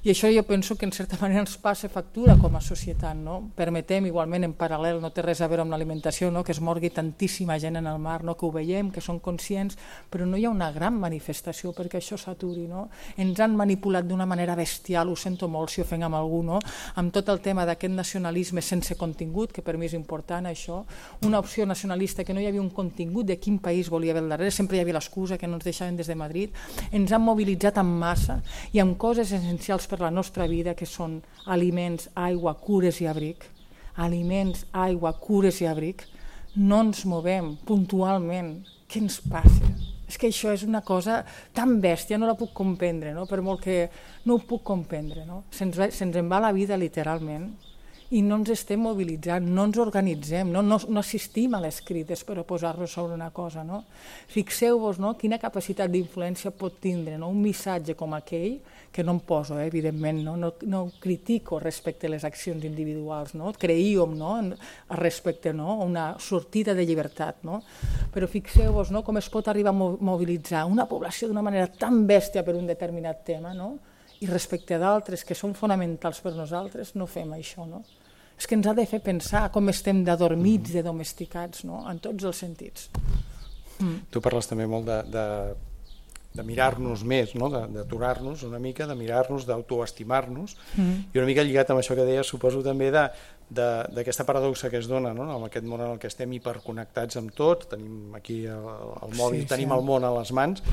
I això jo penso que en certa manera ens passa factura com a societat, no? Permetem igualment en paral·lel, no té res a veure amb l'alimentació, no? Que es morgui tantíssima gent en el mar, no? Que ho veiem, que són conscients, però no hi ha una gran manifestació perquè això s'aturi, no? Ens han manipulat d'una manera bestial, ho sento molt si ofenc amb algú, no? Amb tot el tema d'aquest nacionalisme sense contingut, que per mi és important això, una opció nacionalista que no hi havia un contingut de quin país volia haver al darrere, sempre hi havia l'excusa que no ens deixaven des de Madrid, ens han mobilitzat en massa i amb coses essencials per la nostra vida, que són aliments, aigua, cures i abric, aliments, aigua, cures i abric, no ens movem puntualment. Què ens passa? És que això és una cosa tan bèstia, no la puc comprendre, no? Per molt que no ho puc comprendre, no? Se'ns va, se'ns en va la vida literalment i no ens estem mobilitzant, no ens organitzem, no, no, no assistim a les crides per oposar-nos sobre una cosa, no? Fixeu-vos, no? Quina capacitat d'influència pot tindre, no? Un missatge com aquell, que no em poso, eh, evidentment, no? No, no critico respecte a les accions individuals, no? Creíem, no? Respecte, no? Una sortida de llibertat, no? Però fixeu-vos, no? Com es pot arribar a mobilitzar una població d'una manera tan bèstia per un determinat tema, no? I respecte a d'altres que són fonamentals per nosaltres, no fem això, no? És que ens ha de fer pensar com estem d'adormits, de domesticats, no? En tots els sentits. Mm. Tu parles també molt de, de, de mirar-nos més, no? D'aturar-nos una mica, de mirar-nos, d'autoestimar-nos, mm. i una mica lligat amb això que deies, suposo també de, d'aquesta paradoxa que es dona, no? En aquest món en el que estem hiperconnectats amb tot, tenim aquí el, el mòbil, sí, tenim sí. el món a les mans,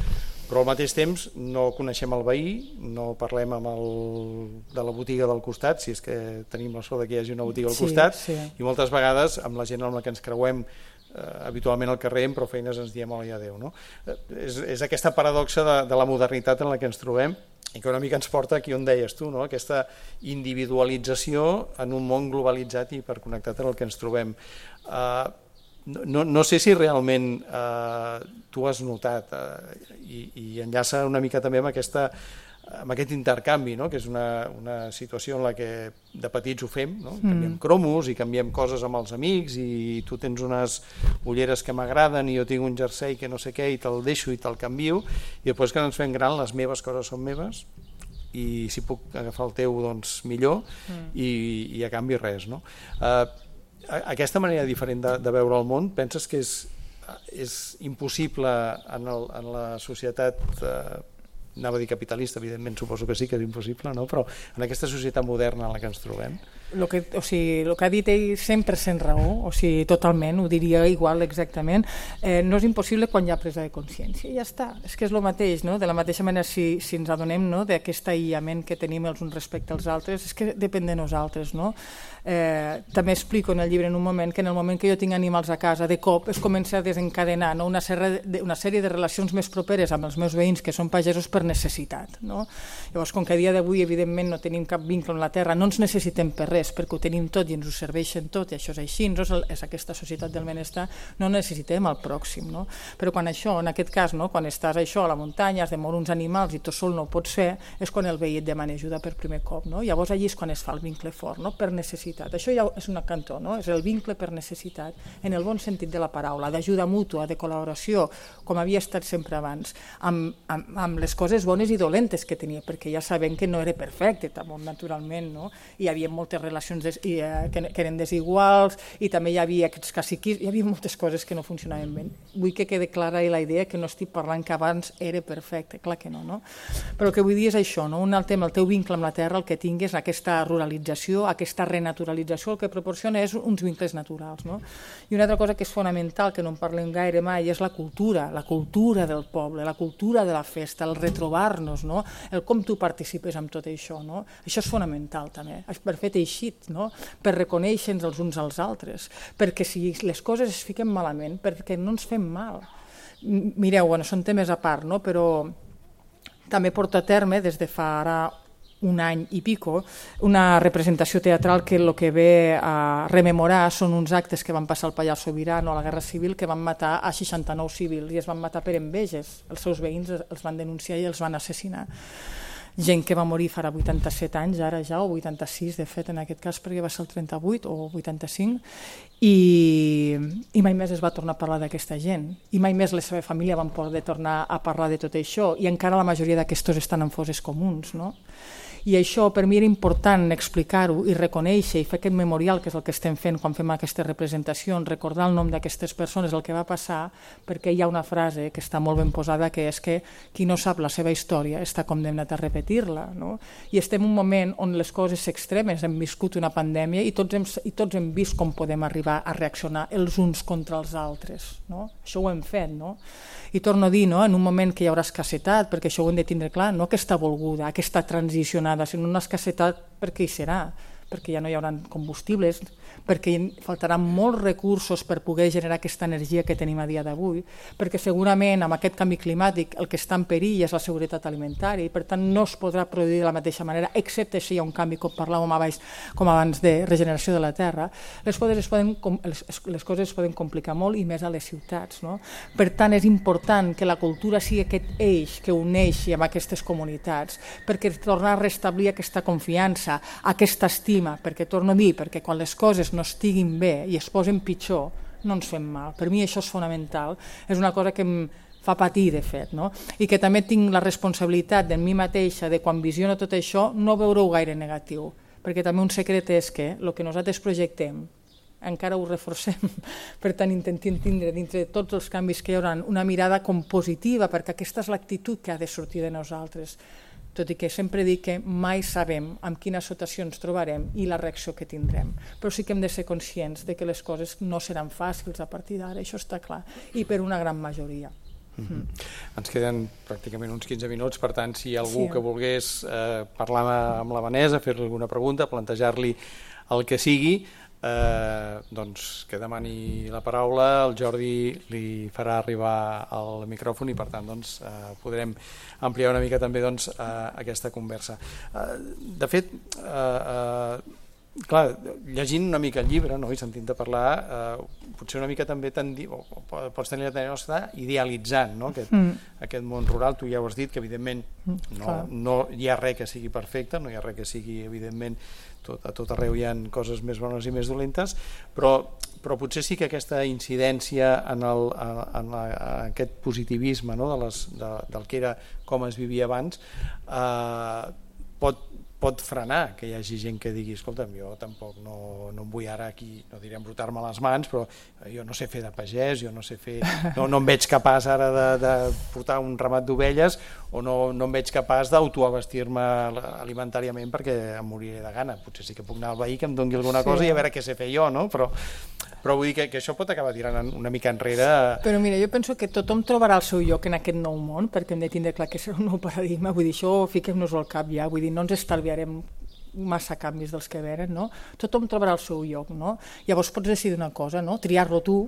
però al mateix temps no coneixem el veí, no parlem amb el de la botiga del costat, si és que tenim la sort que hi hagi una botiga al sí, costat, sí. i moltes vegades amb la gent amb la que ens creuem eh, habitualment al carrer, però feines ens diem hola i adéu. No? Eh, és, és aquesta paradoxa de, de la modernitat en la que ens trobem, i que una mica ens porta aquí on deies tu, no? Aquesta individualització en un món globalitzat i hiperconnectat en el que ens trobem. Uh, no, no sé si realment uh, tu has notat, uh, i, i enllaça una mica també amb, aquesta, amb aquest intercanvi, no? Que és una, una situació en la que de petits ho fem, no? Canviem cromos i canviem coses amb els amics, i tu tens unes ulleres que m'agraden i jo tinc un jersei que no sé què i te'l deixo i te'l canvio, i després que ens fem gran les meves coses són meves i si puc agafar el teu doncs millor, mm. i, i a canvi res, no? Uh, aquesta manera diferent de, de veure el món, penses que és, és impossible en, el, en la societat uh, anava a dir capitalista, evidentment suposo que sí que és impossible, no? Però en aquesta societat moderna en la que ens trobem. Lo que, o sigui, el que ha dit ell cent per cent raó, o sigui, totalment, ho diria igual exactament, eh, no és impossible quan hi ha presa de consciència, i ja està, és que és el mateix, no? De la mateixa manera, si, si ens adonem, no? D'aquest aïllament que tenim els uns respecte als altres, és que depèn de nosaltres, no? Eh, també explico en el llibre en un moment que en el moment que jo tinc animals a casa, de cop es comença a desencadenar, no? una, sèrie de, una sèrie de relacions més properes amb els meus veïns que són pagesos per necessitat, no? Llavors, com que a dia d'avui evidentment no tenim cap vincle amb la terra, no ens necessitem per res, perquè ho tenim tot i ens ho serveixen tot, i això és així, és, és aquesta societat del benestar, no necessitem el pròxim, no? Però quan això, en aquest cas, no? Quan estàs això a la muntanya, has de moure uns animals i tu sol no ho pots fer, és quan el veí et demana ajuda per primer cop, no? Llavors allí és quan es fa el vincle fort, no? Per necessitat. Això ja és una cantó, no? És el vincle per necessitat, en el bon sentit de la paraula, d'ajuda mútua, de col·laboració, com havia estat sempre abans, amb, amb, amb les coses bones i dolentes que tenia, perquè ja sabem que no era perfecte, també, naturalment, no? Hi havia moltes relacions des, i, eh, que, que eren desiguals, i també hi havia aquests caciquis, hi havia moltes coses que no funcionaven bé. Vull que quede clara la idea que no estic parlant que abans era perfecte, clar que no, no? Però el que vull dir és això, no? Un altre, el teu vincle amb la terra, el que tinguis, aquesta ruralització, aquesta renaturalització, el que proporciona és uns vincles naturals, no? I una altra cosa que és fonamental, que no en parlem gaire mai, és la cultura, la cultura del poble, la cultura de la festa, el retrobar-nos, no? El com tu participes amb tot això, no? Això és fonamental també, per fer teixit, no? Per reconèixer-nos els uns als altres, perquè si les coses es fiquen malament, perquè no ens fem mal. Mireu, bueno, són temes a part, no? Però també porto a terme des de fa ara un any i pico, una representació teatral que el que ve a rememorar són uns actes que van passar al Pallars Sobirà a la Guerra Civil, que van matar a seixanta-nou civils, i es van matar per enveges. Els seus veïns els van denunciar i els van assassinar. Gent que va morir farà vuitanta-set anys, ara ja, o vuitanta-sis, de fet, en aquest cas, perquè va ser el trenta-vuit o vuitanta-cinc, i, i mai més es va tornar a parlar d'aquesta gent, i mai més la seva família van poder tornar a parlar de tot això, i encara la majoria d'aquestos estan en fosses comuns, no? I això per mi era important explicar-ho i reconèixer i fer aquest memorial, que és el que estem fent quan fem aquestes representacions, recordar el nom d'aquestes persones, el que va passar, perquè hi ha una frase que està molt ben posada, que és que qui no sap la seva història està condemnat a repetir-la, no? I estem en un moment on les coses extremes, hem viscut una pandèmia i tots hem, i tots hem vist com podem arribar a reaccionar els uns contra els altres, no? Això ho hem fet, no? I torno a dir, no? En un moment que hi haurà escassetat, perquè això ho hem de tindre clar, no aquesta volguda, aquesta transicionada, sinó una escassetat perquè hi serà, perquè ja no hi haurà combustibles, perquè faltaran molts recursos per poder generar aquesta energia que tenim a dia d'avui, perquè segurament amb aquest canvi climàtic el que està en perill és la seguretat alimentària i per tant no es podrà produir de la mateixa manera, excepte si hi ha un canvi, com parlàvem abans, com abans de regeneració de la terra, les coses es poden, les, les coses es poden complicar molt i més a les ciutats, no? Per tant és important que la cultura sigui aquest eix que uneixi amb aquestes comunitats, perquè tornar a restablir aquesta confiança, aquesta estima, perquè torno a dir, perquè quan les coses no estiguin bé i es posen pitjor, no ens fem mal. Per mi això és fonamental, és una cosa que em fa patir, de fet, no? I que també tinc la responsabilitat de mi mateixa, de quan visiono tot això, no veure-ho gaire negatiu, perquè també un secret és que el que nosaltres projectem encara ho reforcem, per tant intentem tindre dintre de tots els canvis que hi haurà una mirada com positiva, perquè aquesta és l'actitud que ha de sortir de nosaltres. tot i que sempre dic que mai sabem amb quina situació ens trobarem i la reacció que tindrem, però sí que hem de ser conscients de que les coses no seran fàcils a partir d'ara, això està clar, i per una gran majoria. Mm-hmm. Mm. Ens queden pràcticament uns quinze minuts, per tant, si hi ha algú sí. que volgués eh, parlar amb la Vanessa, fer-li alguna pregunta, plantejar-li el que sigui, eh, doncs que demani la paraula, el Jordi li farà arribar el micròfon i per tant doncs, eh, podrem ampliar una mica també doncs, eh, aquesta conversa. Eh, de fet, eh, eh, clar, llegint una mica el llibre, no? I sentint-te parlar, eh, potser una mica també tendi, o, o pots tenir la tendència a estar idealitzant, no? aquest, mm. aquest món rural. Tu ja ho has dit, que evidentment no, no hi ha res que sigui perfecte, no hi ha res que sigui evidentment tot, a tot arreu hi ha coses més bones i més dolentes, però, però potser sí que aquesta incidència en, el, en, la, en aquest positivisme, no? de les, de, del que era com es vivia abans, eh, pot pot frenar que hi hagi gent que digui escolta'm, jo tampoc no, no em vull ara aquí, no diré embrutar-me les mans, però jo no sé fer de pagès, jo no sé fer, no, no em veig capaç ara de, de portar un ramat d'ovelles o no, no em veig capaç d'autoabastir-me alimentàriament perquè em moriré de gana. Potser sí que puc anar al veí que em doni alguna cosa sí. i a veure què sé fer jo, no? Però, però vull dir que, que això pot acabar tirant una mica enrere. Però mira, jo penso que tothom trobarà el seu lloc en aquest nou món, perquè hem de tindre clar que serà un nou paradigma, vull dir, això fiquem-nos al cap ja, vull dir, no ens estalviarem massa canvis dels que venen, no? Tothom trobarà el seu lloc, no? Llavors pots decidir una cosa, no? Triar-lo tu,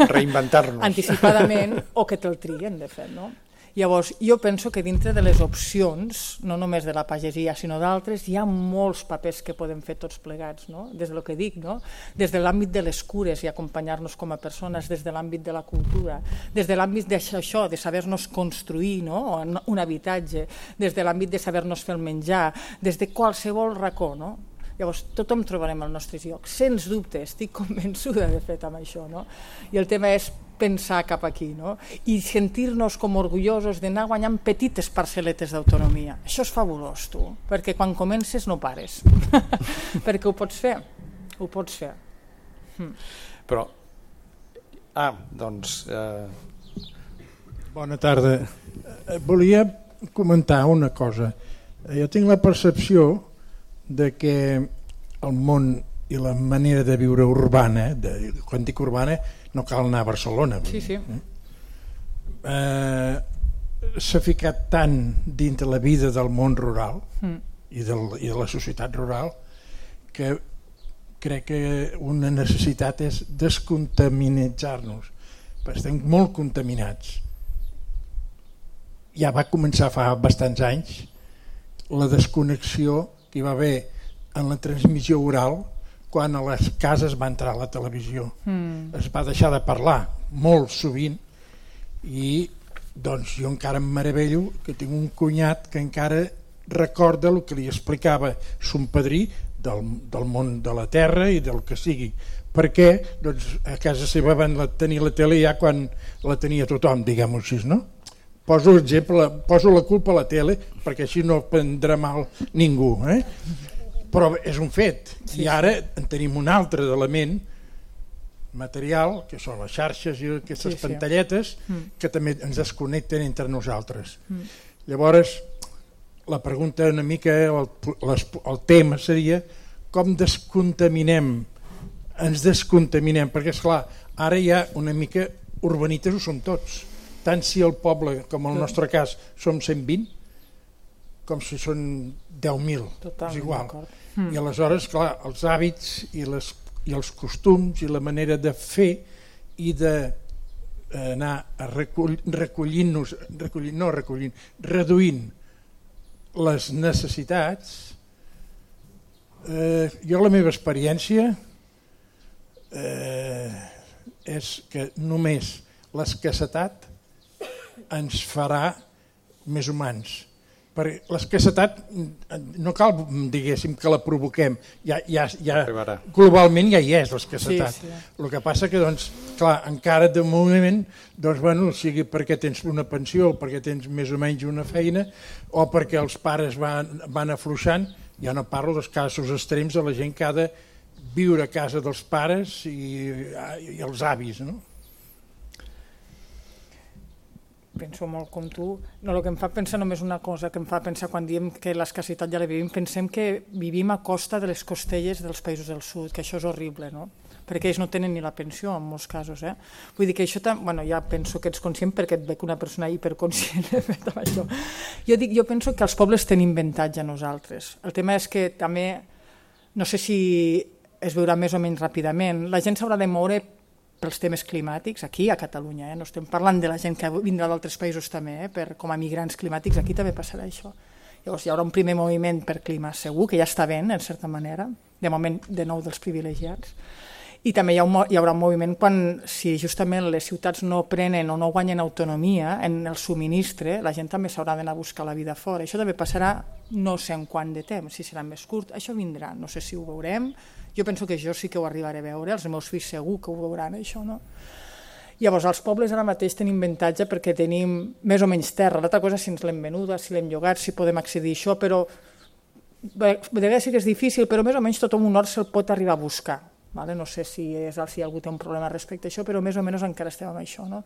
reinventar-nos anticipadament, o que te'l triguen, de fet, no? Llavors, jo penso que dintre de les opcions, no només de la pagesia, sinó d'altres, hi ha molts papers que podem fer tots plegats, no? Des del que dic, no? Des de l'àmbit de les cures i acompanyar-nos com a persones, des de l'àmbit de la cultura, des de l'àmbit d'això, de saber-nos construir, no? Un habitatge, des de l'àmbit de saber-nos fer el menjar, des de qualsevol racó, no? Llavors, tothom trobarem el nostre lloc, sens dubte, estic convençuda de fet amb això, no? I el tema és pensar cap aquí, no? I sentir-nos com orgullosos d'anar guanyant petites parcel·letes d'autonomia. Això és fabulós, tu, perquè quan comences no pares, perquè ho pots fer, ho pots fer. Hm. Però, ah, doncs... Eh... Bona tarda. Volia comentar una cosa. Jo tinc la percepció de que el món i la manera de viure urbana, de, quan dic urbana no cal anar a Barcelona, sí, sí. Eh, s'ha ficat tant dins de la vida del món rural mm. i, del, i de la societat rural que crec que una necessitat és descontaminitzar-nos, perquè estem molt contaminats. Ja va començar fa bastants anys la desconnexió que hi va haver en la transmissió oral quan a les cases va entrar la televisió. Mm. Es va deixar de parlar molt sovint i doncs jo encara em meravello que tinc un cunyat que encara recorda el que li explicava son padrí del, del món de la terra i del que sigui, perquè doncs, a casa seva van tenir la tele ja quan la tenia tothom, diguem-ho així, no? Poso exemple, poso la culpa a la tele perquè així no prendrà mal ningú, eh? Però és un fet, sí, i ara en tenim un altre element material, que són les xarxes i aquestes sí, sí. pantalletes, mm. que també ens desconnecten entre nosaltres. Mm. Llavors, la pregunta una mica, el, les, el tema seria com descontaminem, ens descontaminem, perquè esclar, ara ja una mica urbanites ho som tots, tant si el poble, com el nostre cas, som cent vint, com si són deu mil, és igual. Mm. I aleshores, clar, els hàbits i, les, i els costums i la manera de fer i d'anar a recull, recollint-nos, recollint, no recollint, reduint les necessitats, eh, jo la meva experiència eh, és que només l'escassetat ens farà més humans. Perquè l'escassetat no cal, diguéssim, que la provoquem, ja, ja, ja, globalment ja hi és l'escassetat. Sí, sí. El que passa que, doncs, clar, encara de moment, doncs, bueno, sigui perquè tens una pensió, perquè tens més o menys una feina, o perquè els pares van, van afluixant, ja no parlo dels casos extrems de la gent que ha de viure a casa dels pares i, i els avis, no? penso molt com tu. No, el que em fa pensar només una cosa, que em fa pensar quan diem que l'escassetat ja la vivim, pensem que vivim a costa de les costelles dels països del sud, que això és horrible, no? Perquè ells no tenen ni la pensió en molts casos. Eh? Vull dir que això, bueno, ja penso que ets conscient perquè et veig una persona hiperconscient de fet amb això. Jo, dic, jo penso que els pobles tenim avantatge a nosaltres. El tema és que també, no sé si es veurà més o menys ràpidament, la gent s'haurà de moure pels temes climàtics, aquí a Catalunya, eh? No estem parlant de la gent que vindrà d'altres països també, eh? Per, com a migrants climàtics, aquí també passarà això. Llavors hi haurà un primer moviment per clima segur, que ja està ben, en certa manera, de moment de nou dels privilegiats, i també hi, ha un, hi haurà un moviment quan, si justament les ciutats no prenen o no guanyen autonomia en el subministre, la gent també s'haurà d'anar a buscar la vida fora. Això també passarà no sé en quant de temps, si serà més curt, això vindrà, no sé si ho veurem, jo penso que jo sí que ho arribaré a veure, els meus fills segur que ho veuran això, no? Llavors, els pobles ara mateix tenim avantatge perquè tenim més o menys terra, l'altra cosa si ens l'hem venuda, si l'hem llogat, si podem accedir a això, però de vegades sí que és difícil, però més o menys tot un hort se'l pot arribar a buscar. Vale? No sé si, és, si algú té un problema respecte a això, però més o menys encara estem amb això. No?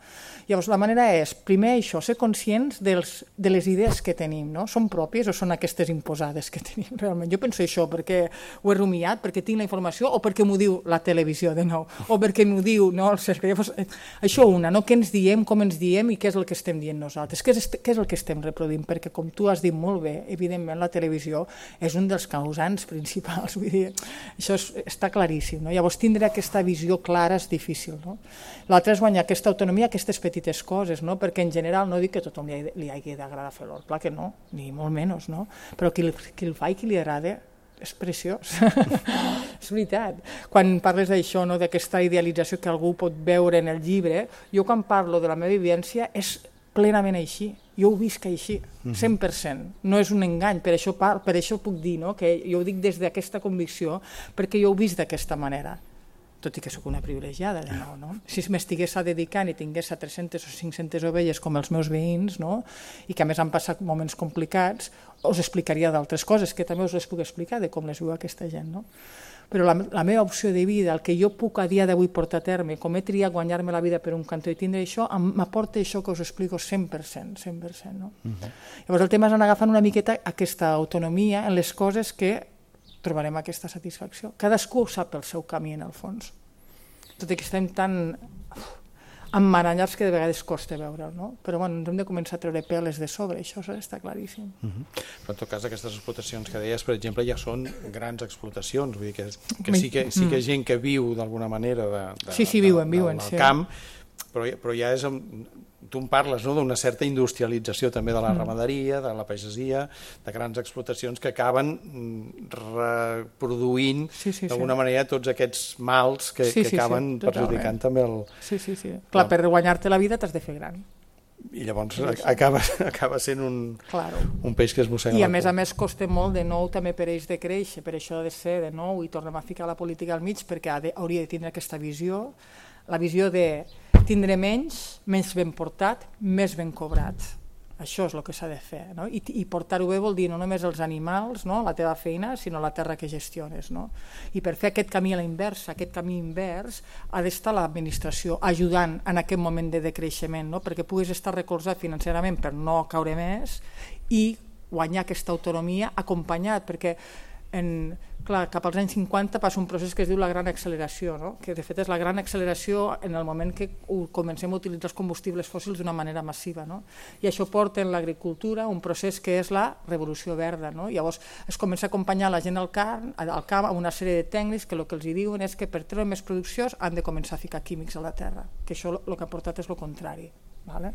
Llavors, la manera és, primer això, ser conscients dels, de les idees que tenim, no? Són pròpies o són aquestes imposades que tenim realment? Jo penso això perquè ho he rumiat, perquè tinc la informació o perquè m'ho diu la televisió de nou, o perquè m'ho diu no, el cercle. Llavors, això una, no? Què ens diem, com ens diem i què és el que estem dient nosaltres, què és, què és el que estem reproduint, perquè com tu has dit molt bé, evidentment la televisió és un dels causants principals, vull dir, això és, està claríssim, no? Llavors, tindre aquesta visió clara és difícil. No? L'altre és guanyar aquesta autonomia, aquestes petites coses, no? Perquè en general no dic que a tothom li, li hagi d'agradar fer l'hort, clar que no, ni molt menys, no? Però qui, qui el fa i qui li agrada és preciós. És veritat. Quan parles d'això, no? D'aquesta idealització que algú pot veure en el llibre, jo quan parlo de la meva vivència és plenament així. Jo ho visc així, cent per cent. No és un engany, per això, par, per això puc dir no? Que jo ho dic des d'aquesta convicció, perquè jo ho visc d'aquesta manera. Tot i que sóc una privilegiada, de nou, no? Si m'estigués dedicant i tingués tres-centes o cinc-centes ovelles com els meus veïns, no? I que a més han passat moments complicats, us explicaria d'altres coses, que també us les puc explicar de com les viu aquesta gent, no? Però la, la meva opció de vida, el que jo puc a dia d'avui portar a terme, com he triat guanyar-me la vida per un cantó i tindre això, m'aporta això que us explico cent per cent, cent per cent, no? Uh-huh. Llavors el tema és anar agafant una miqueta aquesta autonomia en les coses que trobarem aquesta satisfacció. Cadascú sap el seu camí en el fons. Tot i que estem tan emmaranyats que de vegades costa veure'l, no? Però bueno, ens hem de començar a treure peles de sobre, això està claríssim. Uh-huh. Però en tot cas aquestes explotacions que deies, per exemple, ja són grans explotacions, vull dir que, que sí que sí que hi ha gent que viu d'alguna manera de, de, sí, sí, viuen, de, viuen, del sí. camp, però, però ja és... Tu en parles, no?, d'una certa industrialització també de la ramaderia, de la pagesia, de grans explotacions que acaben reproduint sí, sí, d'alguna sí. manera tots aquests mals que, sí, sí, que acaben sí, perjudicant també el... Sí, sí, sí. Clar, per guanyar-te la vida t'has de fer gran. I llavors sí, sí. Acaba, acaba sent un, claro. un peix que es mossega. I a més a més costa molt de nou també per ells de créixer, per això ha de ser de nou i tornem a ficar la política al mig perquè ha de, hauria de tindre aquesta visió, la visió de tindre menys, menys ben portat, més ben cobrat. Això és el que s'ha de fer. No? I, i portar-ho bé vol dir no només els animals, no? La teva feina, sinó la terra que gestiones. No? I per fer aquest camí a la inversa, aquest camí invers, ha d'estar l'administració ajudant en aquest moment de decreixement, no? Perquè puguis estar recolzat financerament per no caure més i guanyar aquesta autonomia acompanyat, perquè en, clar, cap als anys cinquanta passa un procés que es diu la gran acceleració, no? Que de fet és la gran acceleració en el moment que comencem a utilitzar els combustibles fòssils d'una manera massiva, no? I això porta en l'agricultura un procés que és la revolució verda, no? Llavors es comença a acompanyar la gent al camp, al camp amb una sèrie de tècnics que el que els diuen és que per treure més produccions han de començar a ficar químics a la terra, que això el que ha portat és el contrari, vale?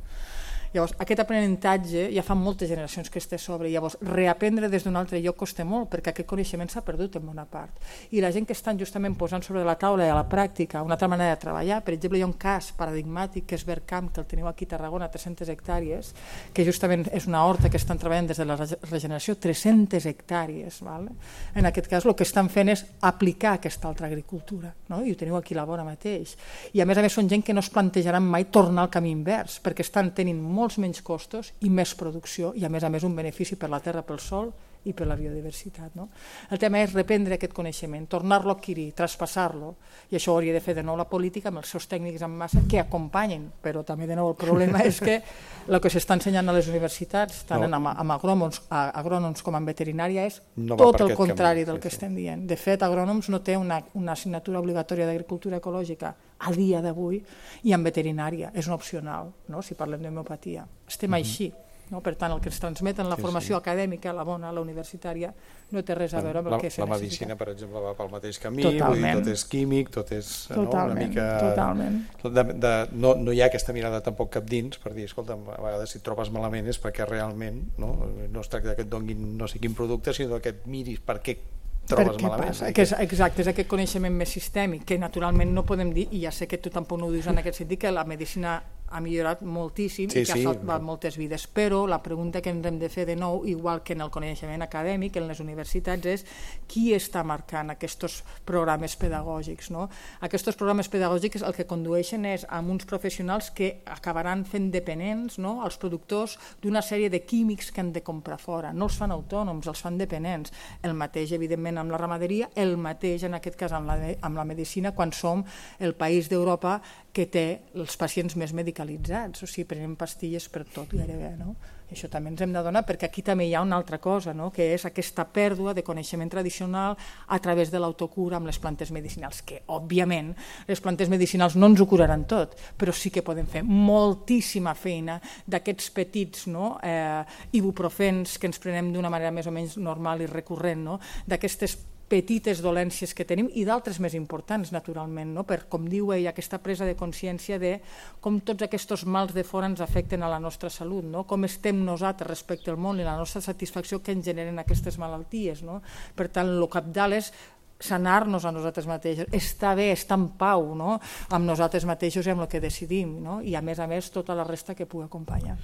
Llavors, aquest aprenentatge ja fa moltes generacions que està sobre, llavors reaprendre des d'un altre lloc costa molt perquè aquest coneixement s'ha perdut en bona part. I la gent que estan justament posant sobre la taula i a la pràctica una altra manera de treballar, per exemple, hi ha un cas paradigmàtic que és Vercamp, que el teniu aquí a Tarragona, tres-centes hectàrees, que justament és una horta que estan treballant des de la regeneració, tres-centes hectàrees. Vale? En aquest cas el que estan fent és aplicar aquesta altra agricultura, no? I ho teniu aquí a la vora mateix. I a més a més són gent que no es plantejaran mai tornar al camí invers, perquè estan tenint molt molts menys costos i més producció i a més a més un benefici per la terra, pel sol i per la biodiversitat. No? El tema és reprendre aquest coneixement, tornar-lo a adquirir, traspassar-lo, i això ho hauria de fer de nou la política amb els seus tècnics en massa que acompanyen, però també de nou el problema és que el que s'està ensenyant a les universitats, tant no. amb, amb agrònoms, agrònoms com en veterinària, és no tot el contrari camí, del sí, que sí. estem dient. De fet, agrònoms no té una, una assignatura obligatòria d'agricultura ecològica a dia d'avui, i en veterinària és un opcional, no? Si parlem d'homeopatia. Estem mm-hmm. així. No? Per tant, el que ens transmeten la formació sí, sí. acadèmica, la bona, la universitària, no té res a veure amb el la, que se la necessita. medicina, per exemple, va pel mateix camí, vull dir, tot és químic, tot és totalment, no, una mica... Totalment. De, de, no, no hi ha aquesta mirada tampoc cap dins per dir, escolta, a vegades si et trobes malament és perquè realment no, no es tracta que et donguin no sé quin producte, sinó que et miris per què trobes malament. Passa? Que és, exacte, és aquest coneixement més sistèmic, que naturalment no podem dir, i ja sé que tu tampoc no ho dius en aquest sentit, que la medicina ha millorat moltíssim sí, i que sí. ha salvat moltes vides, però la pregunta que ens hem de fer de nou, igual que en el coneixement acadèmic, en les universitats, és qui està marcant aquests programes pedagògics. No? Aquests programes pedagògics el que condueixen és a uns professionals que acabaran fent dependents, no? Els productors d'una sèrie de químics que han de comprar fora. No els fan autònoms, els fan dependents. El mateix, evidentment, amb la ramaderia, el mateix, en aquest cas, amb la, amb la medicina, quan som el país d'Europa que té els pacients més medicalitzats, o sigui, prenem pastilles per tot gairebé, no? I això també ens hem d'adonar, perquè aquí també hi ha una altra cosa, no? Que és aquesta pèrdua de coneixement tradicional a través de l'autocura amb les plantes medicinals, que, òbviament, les plantes medicinals no ens ho curaran tot, però sí que podem fer moltíssima feina d'aquests petits no? eh, ibuprofens que ens prenem d'una manera més o menys normal i recurrent, no? D'aquestes petites dolències que tenim i d'altres més importants, naturalment, no? Per, com diu ell, aquesta presa de consciència de com tots aquests mals de fora ens afecten a la nostra salut, no? Com estem nosaltres respecte al món i la nostra satisfacció que ens generen aquestes malalties. No? Per tant, el cabdal és sanar-nos a nosaltres mateixos, estar bé, estar en pau, no? Amb nosaltres mateixos i amb el que decidim, no? I a més a més tota la resta que pugui acompanyar.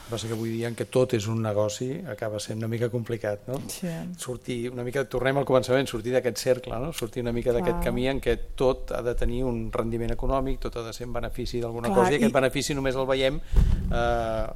Passa que avui dia en què tot és un negoci acaba sent una mica complicat, no? Sí. Sortir una mica, tornem al començament, sortir d'aquest cercle, no? Sortir una mica d'aquest camí en què tot ha de tenir un rendiment econòmic, tot ha de ser en benefici d'alguna cosa, i aquest i... benefici només el veiem eh,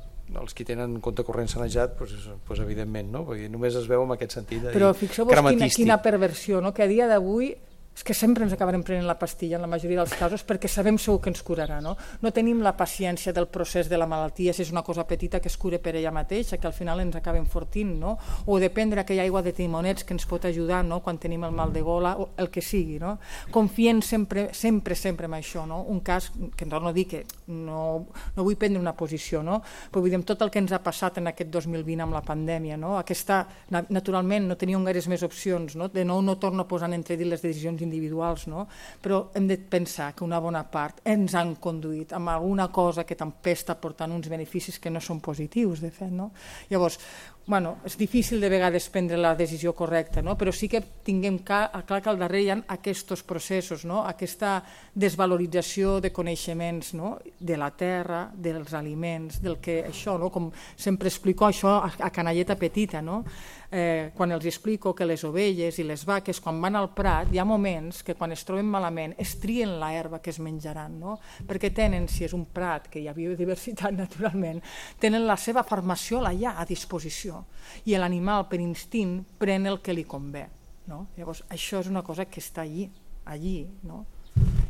els que tenen compte corrent sanejat, doncs, doncs evidentment, no? Perquè només es veu en aquest sentit de Però fixeu-vos quina, quina perversió, no? Que a dia d'avui és que sempre ens acabarem prenent la pastilla en la majoria dels casos perquè sabem segur que ens curarà, no? No tenim la paciència del procés de la malaltia, si és una cosa petita que es cure per ella mateixa, que al final ens acaba enfortint, no? O de prendre aquella aigua de timonets que ens pot ajudar, no? Quan tenim el mal de gola, o el que sigui, no? Confiem sempre, sempre, sempre en això, no? Un cas que em torno a dir que no, no vull prendre una posició, no? Però vull dir, amb tot el que ens ha passat en aquest dos mil vint amb la pandèmia, no? Aquesta, naturalment, no teníem gaires més opcions, no? De nou no torno a posar en entredit les decisions individuals, no? Però hem de pensar que una bona part ens han conduït amb alguna cosa que també està portant uns beneficis que no són positius, de fet, no? Llavors, bueno, és difícil de vegades prendre la decisió correcta, no? Però sí que tinguem clar, clar que al darrere hi ha aquests processos, no? Aquesta desvalorització de coneixements, no? De la terra, dels aliments, del que això, no? Com sempre explico això a, a canalleta petita, no? Eh, quan els explico que les ovelles i les vaques, quan van al prat, hi ha moments que quan es troben malament es trien la herba que es menjaran, no? Perquè tenen, si és un prat, que hi ha biodiversitat naturalment, tenen la seva formació allà a disposició i l'animal per instint pren el que li convé, no? Llavors això és una cosa que està allí, allí, no?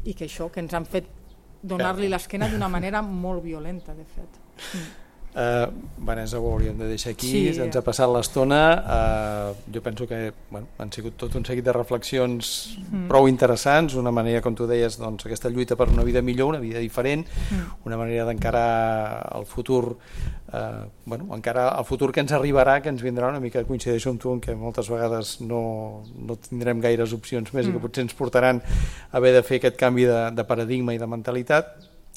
I que això que ens han fet donar-li l'esquena d'una manera molt violenta, de fet. Mm. Uh, Vanessa, ho hauríem de deixar aquí, sí. Ens ha passat l'estona, uh, jo penso que bueno, han sigut tot un seguit de reflexions mm. prou interessants, una manera, com tu deies, doncs, aquesta lluita per una vida millor, una vida diferent, mm. una manera d'encarar el futur, uh, bueno, encarar el futur que ens arribarà, que ens vindrà, una mica coincideixo amb tu en que moltes vegades no, no tindrem gaires opcions més mm. i que potser ens portaran a haver de fer aquest canvi de, de paradigma i de mentalitat.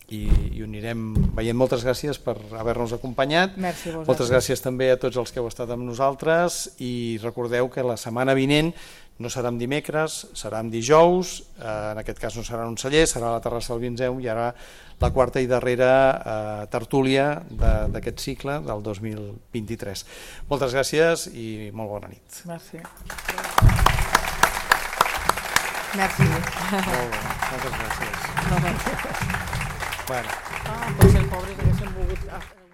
I, i ho anirem veient. Moltes gràcies per haver-nos acompanyat. Merci, moltes gràcies també a tots els que heu estat amb nosaltres i recordeu que la setmana vinent no serà en dimecres, serà en dijous, eh, en aquest cas no serà en un celler, serà a la terrassa del Vinzeu, i ara la quarta i darrera eh, tertúlia d'aquest cicle del dos mil vint-i-tres. Moltes gràcies i molt bona nit. Merci. Merci. Molt bé, moltes gràcies. No, no. Bueno. Ah, potser el pobre haguéssim volgut...